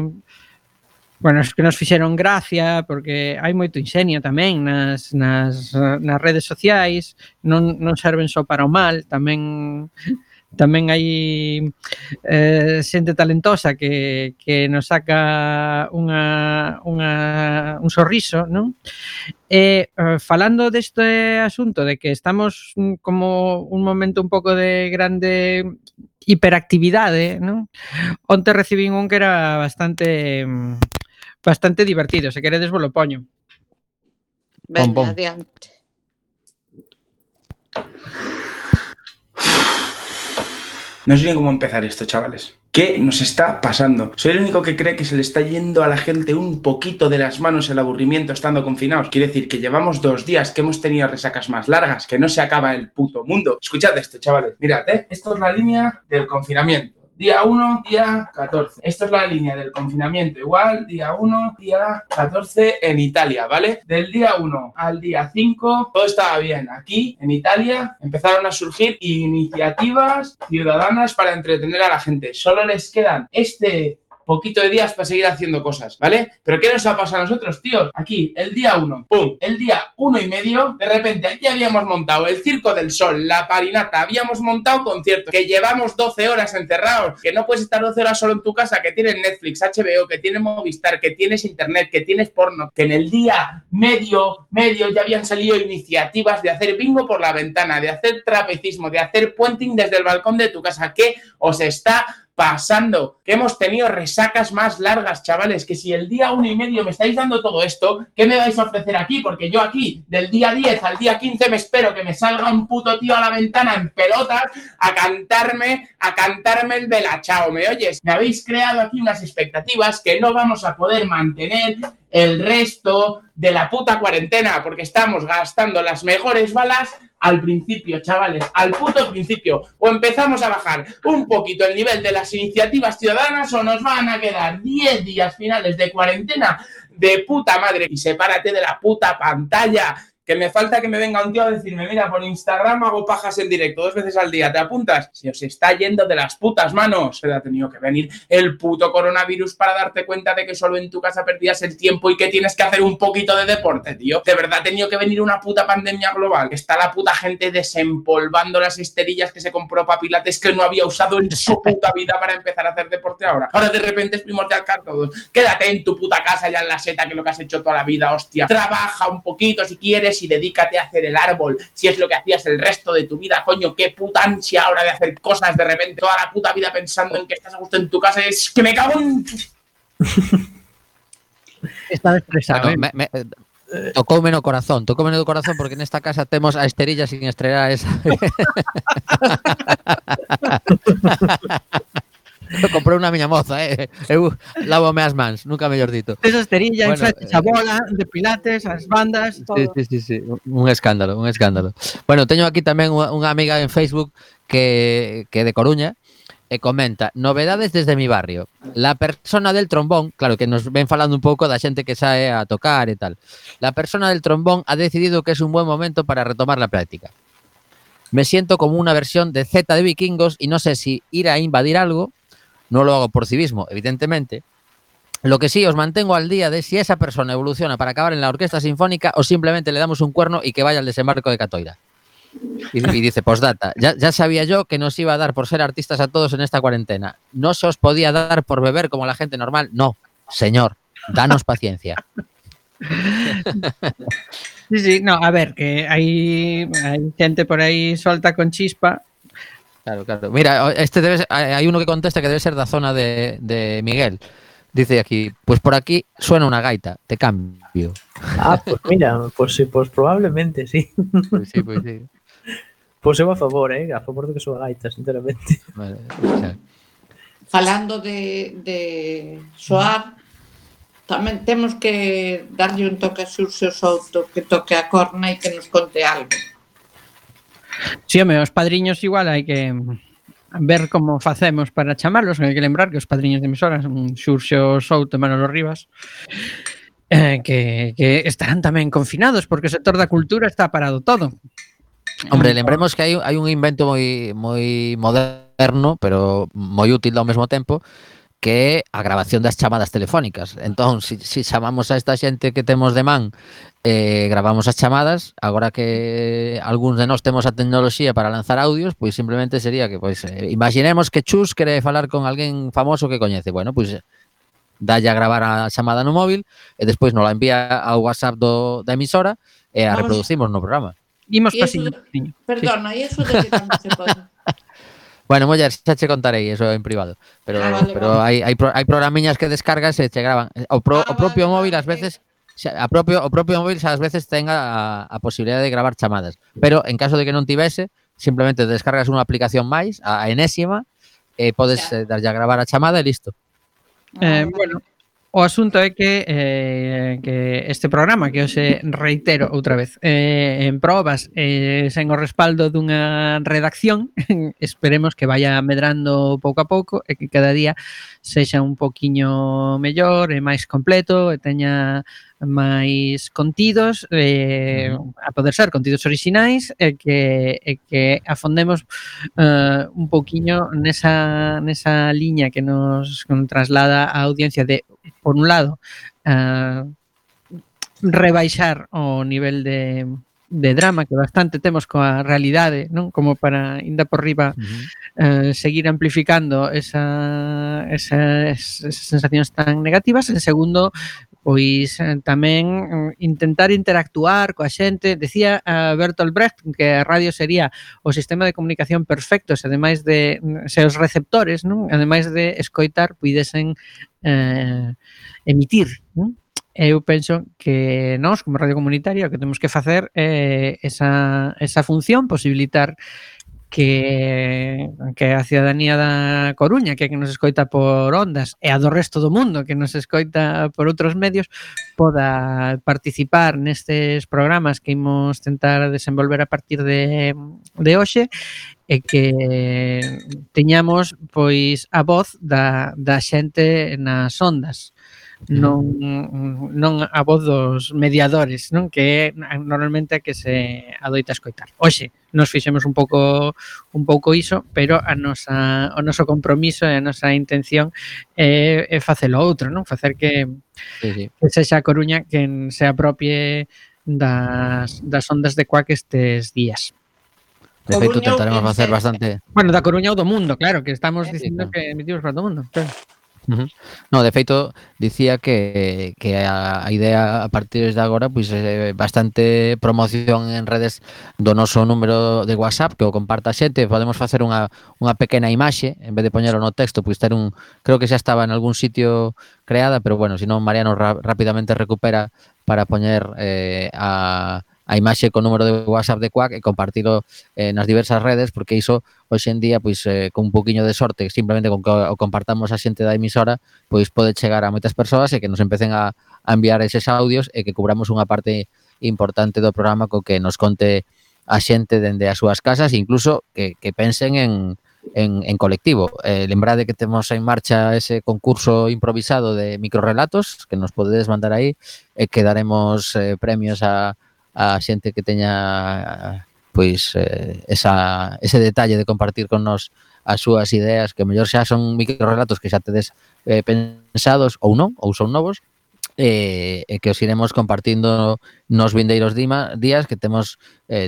Bueno, es que nos fixeron gracia, porque hai moito inxenio tamén nas redes sociais, non serven só para o mal, tamén hai xente talentosa que nos saca un sorriso, non? E falando deste asunto de que estamos como un momento un pouco de grande hiperactividade, non? Onte recibín un que era bastante divertido, se queredes vos lo poño. Venga, adiante. No sé ni cómo empezar esto, chavales. ¿Qué nos está pasando? Soy el único que cree que se le está yendo a la gente un poquito de las manos el aburrimiento estando confinados. Quiere decir que llevamos 2 días que hemos tenido resacas más largas, que no se acaba el puto mundo. Escuchad esto, chavales. Mirad, esto es la línea del confinamiento. Día 1, día 14. Esto es la línea del confinamiento. Igual, día 1, día 14 en Italia, ¿vale? Del día 1 al día 5, todo estaba bien. Aquí, en Italia, empezaron a surgir iniciativas ciudadanas para entretener a la gente. Solo les quedan poquito de días para seguir haciendo cosas, ¿vale? Pero ¿qué nos ha pasado a nosotros, tíos? Aquí, el día 1, ¡pum! El día 1 y medio, de repente aquí habíamos montado el Circo del Sol, la Parinata, habíamos montado conciertos, que llevamos 12 horas encerrados, que no puedes estar 12 horas solo en tu casa, que tienes Netflix, HBO, que tienes Movistar, que tienes internet, que tienes porno, que en el día medio ya habían salido iniciativas de hacer bingo por la ventana, de hacer trapecismo, de hacer puenting desde el balcón de tu casa. ¿Qué os está pasando? Que hemos tenido resacas más largas, chavales, que si el día 1 y medio me estáis dando todo esto, ¿qué me vais a ofrecer aquí? Porque yo aquí, del día 10 al día 15, me espero que me salga un puto tío a la ventana en pelotas a cantarme el belachao, ¿me oyes? Me habéis creado aquí unas expectativas que no vamos a poder mantener el resto de la puta cuarentena, porque estamos gastando las mejores balas al principio, chavales, al puto principio. O empezamos a bajar un poquito el nivel de las iniciativas ciudadanas o nos van a quedar 10 días finales de cuarentena de puta madre. Y sepárate de la puta pantalla, que me falta que me venga un tío a decirme, mira, por Instagram hago pajas en directo 2 veces al día, ¿te apuntas? Se os está yendo de las putas manos. Pero ha tenido que venir el puto coronavirus para darte cuenta de que solo en tu casa perdías el tiempo y que tienes que hacer un poquito de deporte, tío. De verdad ha tenido que venir una puta pandemia global. Está la puta gente desempolvando las esterillas que se compró para pilates que no había usado en su puta vida para empezar a hacer deporte ahora. Ahora de repente es primordial car todos. Quédate en tu puta casa ya en la seta, que es lo que has hecho toda la vida, hostia. Trabaja un poquito si quieres y dedícate a hacer el árbol, si es lo que hacías el resto de tu vida, coño, qué puta ansia ahora de hacer cosas de repente, toda la puta vida pensando en que estás a gusto en tu casa, es que me cago en... Está estresado, bueno, tocoume no corazón porque nesta casa temos a esterilla sin estrear esa. Eu comprei unha miña moza, eu lávome as mans, nunca mellor dito. Esa esterilla, bueno, a bola de pilates, as bandas, todo. Sí, un escándalo. Bueno, teño aquí tamén unha amiga en Facebook que de Coruña e comenta, novedades desde mi barrio. La persona del trombón, claro que nos ven falando un pouco da xente que sae a tocar e tal. La persona del trombón ha decidido que es un buen momento para retomar la práctica. Me siento como una versión de Z de Vikingos y no sé si ir a invadir algo. No lo hago por civismo, evidentemente. Lo que sí, os mantengo al día de si esa persona evoluciona para acabar en la orquesta sinfónica o simplemente le damos un cuerno y que vaya al desembarco de Catoira. Y dice, postdata, ya sabía yo que nos iba a dar por ser artistas a todos en esta cuarentena. No se os podía dar por beber como la gente normal. No, señor, danos paciencia. Sí, no, a ver, que hay gente por ahí suelta con chispa. Claro. Mira, hay uno que contesta que debe ser da zona de Miguel. Dice aquí, pues por aquí suena una gaita, te cambio. Ah, pues mira, pues sí, pues probablemente sí. Pues sí. Pues eu a favor de que suba gaita, sinceramente. Vale, o sea. falando de soar, tamén temos que darlle un toque a Xurxo Souto, que toque a corna e que nos conte algo. Si, home, os padriños igual hai que ver como facemos para chamarlos. Hai que lembrar que os padriños de emisoras son Xurxo Souto e Manolo Rivas, que estarán tamén confinados porque o sector da cultura está parado todo. Hombre, lembremos que hai un invento moi moderno, pero moi útil ao mesmo tempo, que é a grabación das chamadas telefónicas. Entón, si chamamos a esta xente que temos de man, gravamos as chamadas, agora que algúns de nós temos a tecnoloxía para lanzar audios, pois simplemente sería que, pois, imaginemos que Chus quere falar con alguén famoso que coñece. Bueno, pois dalle a gravar a chamada no móvil e despois nos la envía ao WhatsApp da emisora e a reproducimos no programa. Imos E pasiño. Perdona, e eso de que tamén se pode? Bueno, muller, xa che contarei eso en privado. Pero hai programiñas que descargas e che graban. O propio móvil ás veces o propio móvil ás veces ten a posibilidade de gravar chamadas. Pero en caso de que non tivese, simplemente descargas unha aplicación máis, a enésima, e podes darlle a gravar a chamada e listo. Bueno, o asunto é que este programa, que hoxe reitero outra vez, en probas, sen o respaldo dunha redacción, esperemos que vaya medrando pouco a pouco e que cada día sexa un poquiño mellor e máis completo e teña máis contidos, a poder ser contidos orixinais e que afondemos un pouquiño nesa liña que nos traslada a audiencia de, por un lado, rebaixar o nivel de drama que bastante temos coa realidade, non? Como para, ainda por riba, seguir amplificando esas sensacións tan negativas. En segundo, pois tamén intentar interactuar coa xente. Decía Bertolt Brecht que a radio sería o sistema de comunicación perfecto se ademais de se os receptores, non, ademais de escoitar, puidesen emitir, non? Eu penso que nós, como radio comunitaria, o que temos que facer é esa función, posibilitar que a ciudadanía da Coruña, que nos escoita por ondas, e a do resto do mundo, que nos escoita por outros medios, poda participar nestes programas que imos tentar desenvolver a partir de hoxe, e que teñamos, pois, a voz da xente nas ondas. Non a voz dos mediadores, non, que é normalmente a que se adoita escoitar. Hoxe nos fixemos un pouco iso, pero o noso compromiso e a nosa intención é facelo outro, non? Facer que sexa a Coruña quen se apropie das ondas de Cuac estes días. De feito, tentaremos facer bastante... Bueno, da Coruña ou do mundo, claro, que estamos dicindo que emitimos para todo o mundo, claro. No, de feito, dicía que a idea a partir de agora pois é bastante promoción en redes do noso número de WhatsApp, que o comparta a xente. Podemos facer unha pequena imaxe, en vez de poñelo no texto, pois ter creo que xa estaba en algún sitio creada, pero bueno, se non Mariano rapidamente recupera para poñer a imaxe con número de WhatsApp de Cuac e compartilo nas diversas redes, porque iso hoxe en día, pois con un poquinho de sorte, simplemente con que o compartamos a xente da emisora, pois pode chegar a moitas persoas e que nos empecen a enviar eses audios e que cubramos unha parte importante do programa co que nos conte a xente dende as súas casas, e incluso que pensen en colectivo. Lembrade que temos en marcha ese concurso improvisado de microrelatos que nos podedes mandar aí e que daremos premios a xente que teña pois ese detalle de compartir con nos as súas ideas, que mellor xa son microrelatos que xa tedes pensados ou non, ou son novos, e que os iremos compartindo nos vindeiros días, que temos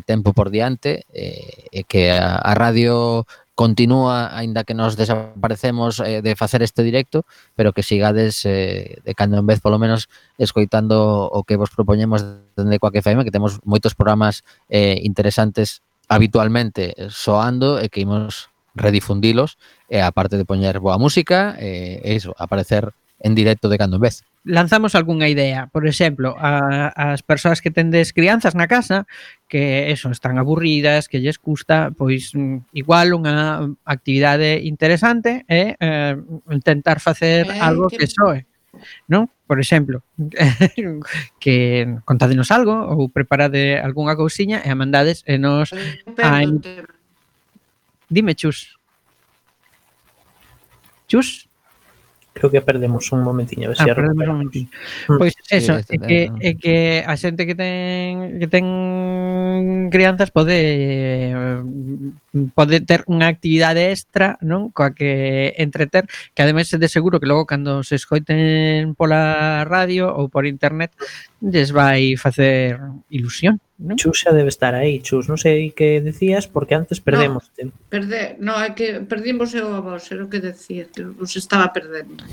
tempo por diante, e que a radio continúa, aínda que nos desaparecemos de facer este directo, pero que sigades de cando en vez, polo menos, escoitando o que vos propoñemos dende Cuac FM, que temos moitos programas interesantes habitualmente soando e que imos redifundilos, e aparte de poñer boa música, iso, aparecer en directo de cando en vez. lanzamos algunha idea. Por exemplo, as persoas que tendes crianzas na casa que eso, están aburridas, que lles custa, pois igual unha actividade interesante é intentar facer algo que soe, non? Por exemplo, que contádenos algo ou preparade algunha cousiña e a mandades e nos Dime, Chus. Chus? Creo que perdemos un momentiño, a ver se perdemos un momentiño. Pois eso, é que a xente que ten crianzas pode ter unha actividade extra, non? Coa que entreter, que ademais de seguro que logo cando se escoiten pola radio ou por internet lles vai facer ilusión, non? Chus xa debe estar aí, Chus, non sei que decías porque antes perdemos. No, é que perdimos a vos, era o que decía, que os estaba perdendo.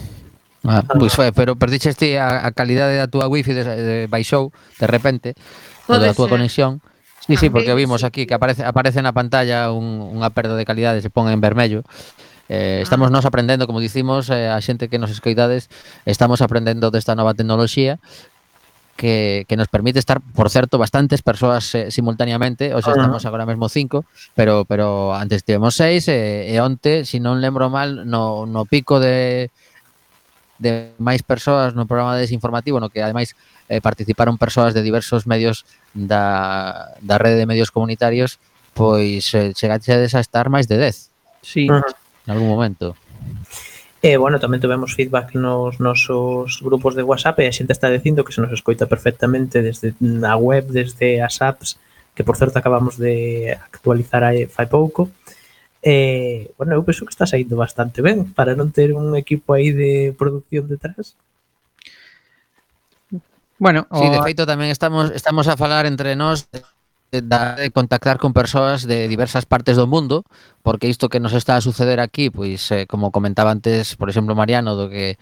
Pois foi, pero perdiches ti a calidade da túa wifi baixou de repente, da túa conexión. Sí, porque vimos aquí que aparece na pantalla unha perda de calidade, se pon en vermello. Estamos nos aprendendo, como dicimos, a xente que nos escoitades, estamos aprendendo desta nova tecnoloxía que nos permite estar, por certo, bastantes persoas simultaneamente. Hoxe estamos agora mesmo 5, pero antes tivemos 6 e onte, se non lembro mal, no pico de máis persoas no programa desinformativo, no que ademais participaron persoas de diversos medios da rede de medios comunitarios, pois chegaches a estar máis de 10. Sí. En algún momento. Bueno, tamén tivemos feedback nos nosos grupos de WhatsApp e a xente está dicindo que se nos escoita perfectamente desde a web, desde as apps, que por certo acabamos de actualizar fai pouco. Bueno, eu penso que está saindo bastante ben para non ter un equipo aí de producción detrás. Bueno, sí, de feito tamén estamos a falar entre nós de contactar con persoas de diversas partes do mundo, porque isto que nos está a suceder aquí, pois como comentaba antes, por exemplo, Mariano, do que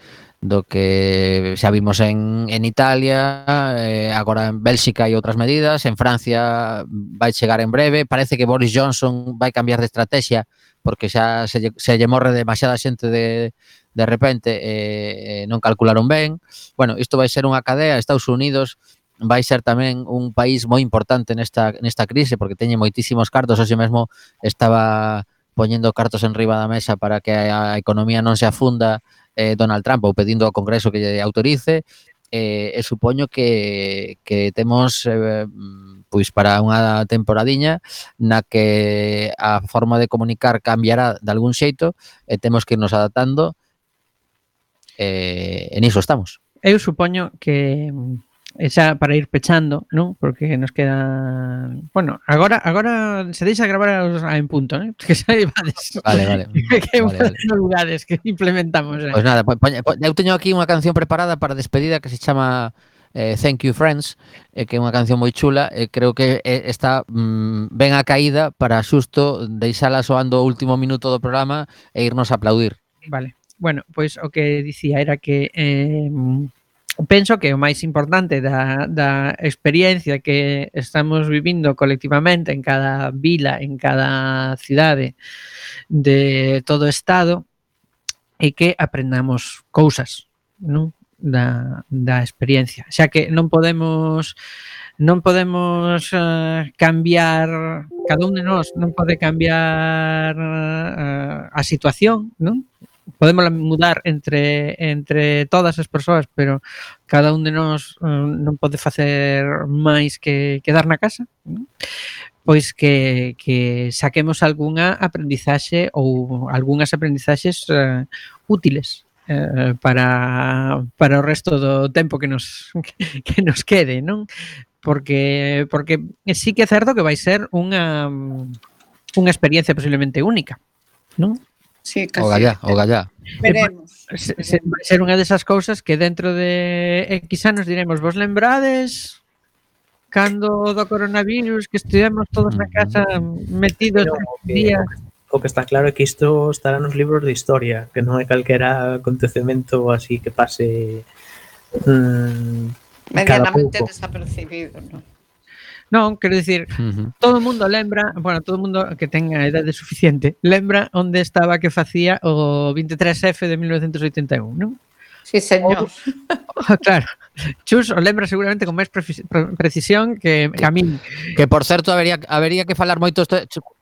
xa vimos en Italia, agora en Bélxica hai outras medidas, en Francia vai chegar en breve, parece que Boris Johnson vai cambiar de estrategia porque xa se lle morre demasiada xente de repente non calcularon ben. Bueno, isto vai ser unha cadea. Estados Unidos vai ser tamén un país moi importante nesta crise porque teñe moitísimos cartos. Hoxe mesmo estaba poñendo cartos en riba da mesa para que a economía non se afunda Donald Trump ou pedindo ao Congreso que lle autorice e supoño que temos pois para unha temporadiña na que a forma de comunicar cambiará de algún xeito e temos que irnos adaptando e niso estamos. Eu supoño que xa para ir pechando, non? Porque nos queda... Bueno, agora se deixa gravar en punto, ¿eh? Que xa ibades. Vale. Que vale. Novidades que implementamos. Pois nada, eu teño aquí unha canción preparada para despedida que se chama Thank You Friends, que é unha canción moi chula, creo que está ben a caída para xusto deixala soando o último minuto do programa e irnos a aplaudir. Vale. Bueno, pois o que dicía era que penso que o máis importante da experiencia que estamos vivindo colectivamente en cada vila, en cada cidade de todo o estado é que aprendamos cousas, non? Da experiencia, xa que non podemos cambiar, cada un de nós non pode cambiar a situación, non? Podemos mudar entre todas as persoas, pero cada un de nós non pode facer máis que quedar na casa, non? Pois que saquemos algunha aprendizaxe ou algunhas aprendizaxes útiles para o resto do tempo que nos quede, non? Porque sí que é certo que vai ser unha experiencia posiblemente única, non? Sí, casi. O gallá. Veremos. Vai ser unha desas cousas que dentro de X anos diremos, vos lembrades cando do coronavirus que estivemos todos na casa metidos días? O que está claro é que isto estará nos libros de historia, que non é calquera acontecemento así que pase medianamente desapercibido, non? Non, quero dicir, todo o mundo lembra, bueno, todo o mundo que tenga a idade suficiente, lembra onde estaba que facía o 23F de 1981, non? Sí, señor. Claro. Chus o lembra seguramente con máis precisión que a min. Que, por certo, habería que falar moito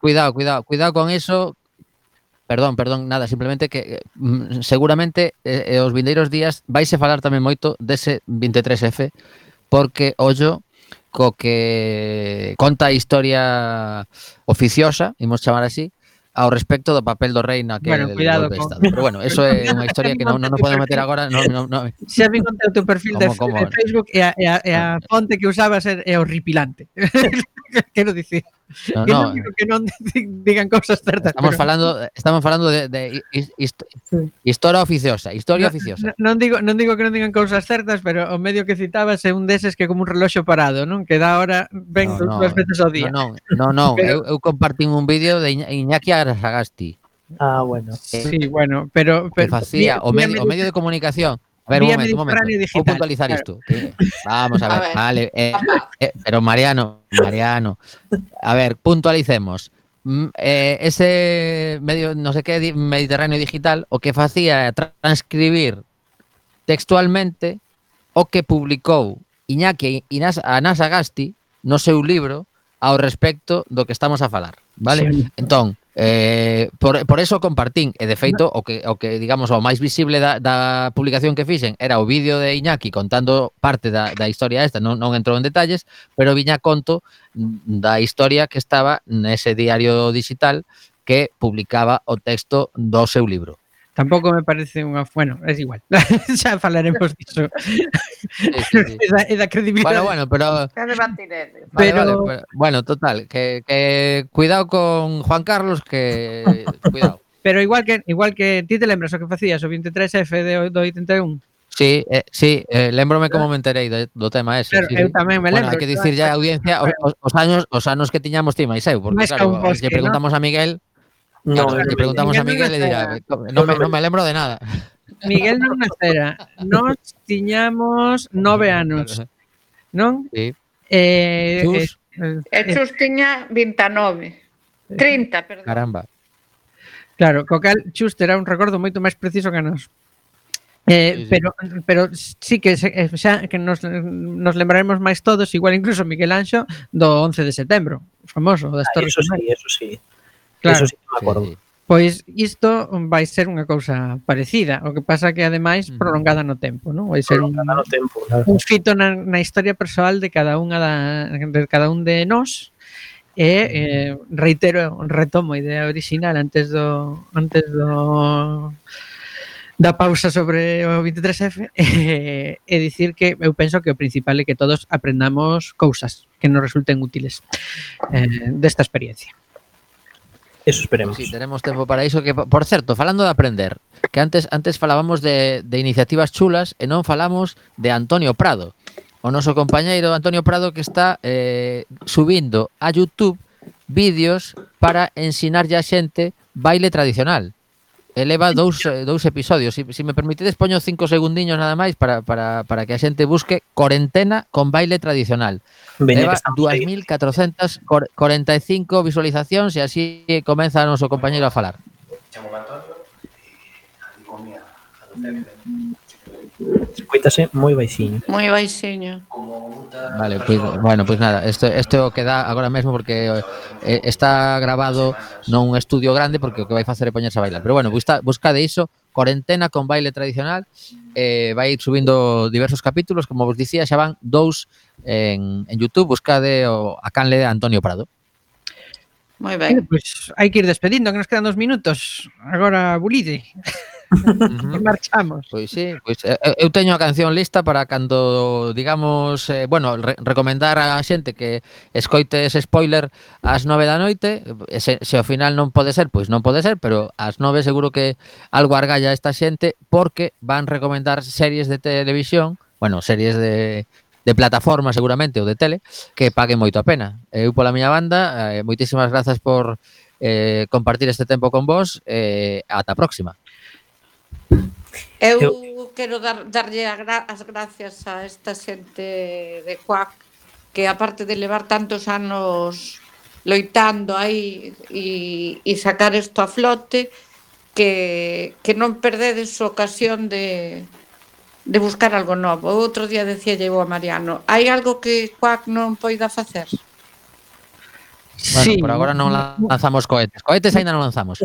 cuidado con eso. Perdón, nada, simplemente que seguramente os vindeiros días vaise falar tamén moito dese 23F, porque ollo co que conta a historia oficiosa, imos chamar así, ao respecto do papel do rei naquele Cuidado golpe de con... Estado. Pero bueno, eso é unha historia que non podemos meter agora. No. Xa vi contei o teu perfil de Facebook e a fonte que usabas é horripilante. Quero dicir. Non digo que non digan cousas certas. Estamos falando de historia oficiosa. Non digo que non digan cousas certas, pero o medio que citabas é un deses que é como un reloxo parado, non? Que da hora ven dúas veces ao día. Non. Eu compartín un vídeo de Iñaki Arasagasti. Ah, bueno. Sí, bueno, pero que facía o medio de comunicación. A ver, un momento. Vou puntualizar isto. Vamos a ver, vale. Pero Mariano, a ver, puntualicemos. Ese medio, no sé qué, Mediterráneo Digital, o que facía transcribir textualmente o que publicou Iñaki Anasagasti no seu libro ao respecto do que estamos a falar, vale? Sí. Entón, por eso compartín, e de feito o que digamos o máis visible da publicación que fixen era o vídeo de Iñaki contando parte da historia esta, non entrou en detalles, pero viña conto da historia que estaba nese diario digital que publicaba o texto do seu libro. Tampouco me parece unha... Bueno, é igual. Xa falaremos disso. Sí. É da credibilidade. Bueno, pero... Vale, bueno, total, que cuidado con Juan Carlos, que... Cuidado. Pero igual que ti te lembras o que facías o 23F do 81? Sí, lembrome como me enterei do tema ese. Pero eu tamén me lembro. Hai que dicir ya a audiencia os anos que tiñamos ti máis eu, porque claro, se preguntamos a Miguel... Claro, le preguntamos a Miguel e dirá, no me lembro de nada. Miguel non nacera, nós tiñamos 9 anos, non? Sí. Chus tiña 29, 30, perdón. Caramba. Claro, co cal Chus terá un recordo moito máis preciso que nós. Sí. Pero sí que xa que nos lembraremos máis todos, igual incluso Miguel Anxo do 11 de setembro, famoso das Torres Gemelas. Eso sí. Claro, eso sí que me acordo. Sí. Pois isto vai ser unha cousa parecida, o que pasa que ademais prolongada no tempo, non? Vai ser un fito na historia persoal de cada un de nós. E retomo a idea original antes da pausa sobre o 23F e dicir que eu penso que o principal é que todos aprendamos cousas que nos resulten útiles desta experiencia. Eso esperemos. Sí, tenemos tempo para iso. Que, por certo, falando de aprender, que antes falábamos de iniciativas chulas e non falamos de Antonio Prado, o noso compañeiro Antonio Prado, que está subindo a YouTube vídeos para ensinarlle a xente baile tradicional. Eleva dous episodios. Si me permitides, poño 5 segundiños nada máis para que a xente busque Corentena con baile tradicional. Leva 2.445 visualizacións e así comeza o noso compañeiro a falar. Escuítase moi baixiño. Moi baixiño. Vale, pues nada, isto o que dá agora mesmo porque está grabado nun estudio grande porque o que vai facer é poñerse a bailar. Pero bueno, buscade iso, Corentena con baile tradicional, vai subindo diversos capítulos, como vos dicía, xa van 2 en YouTube, buscade a canle de Antonio Prado. Moi ben. Pois hai que ir despedindo, que nos quedan 2 minutos. Agora, bulide. E marchamos. Pois sí, eu teño a canción lista para cando, digamos, recomendar a xente que escoite ese spoiler ás 9 da noite. Se ao final non pode ser, pois non pode ser, pero ás 9 seguro que algo argalla esta xente, porque van recomendar series de televisión, series de plataforma seguramente ou de tele, que paguen moito a pena. Eu pola miña banda, moitísimas grazas por compartir este tempo con vos, ata a próxima. Eu quero darlle as gracias a esta xente de Cuac, que aparte de levar tantos anos loitando aí e sacar isto a flote, que non perdedes a ocasión de de buscar algo novo. Outro día decía eu a Mariano, hai algo que Quack non poida facer? Bueno, por agora non lanzamos cohetes. Cohetes aínda non lanzamos.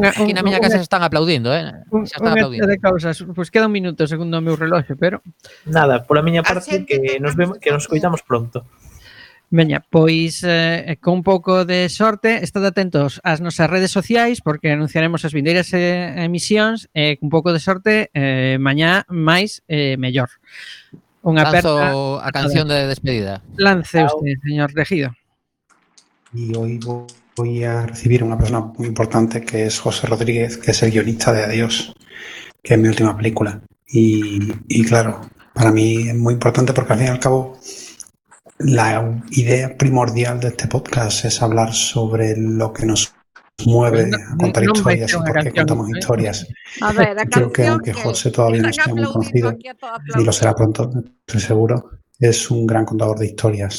Aquí na miña casa se están aplaudindo, xa están aplaudindo. De causas, pois queda un minuto segundo o meu reloxo, pero Nada, pola miña parte que nos coitamos pronto. veña, pois con un pouco de sorte, estad atentos ás nosas redes sociais porque anunciaremos as vindeiras emisións e con un pouco de sorte mañá máis mellor. Unha aperta Lanzo a canción de despedida. Lance usted, señor Regido. Y hoy voy a recibir a una persona muy importante que es José Rodríguez, que es el guionista de Adiós, que es mi última película. Y claro, para mí es muy importante porque al fin y al cabo la idea primordial de este podcast es hablar sobre lo que nos mueve a contar historias y por qué contamos historias. A ver, Creo que aunque José todavía no sea muy conocido, y lo será pronto, estoy seguro, es un gran contador de historias.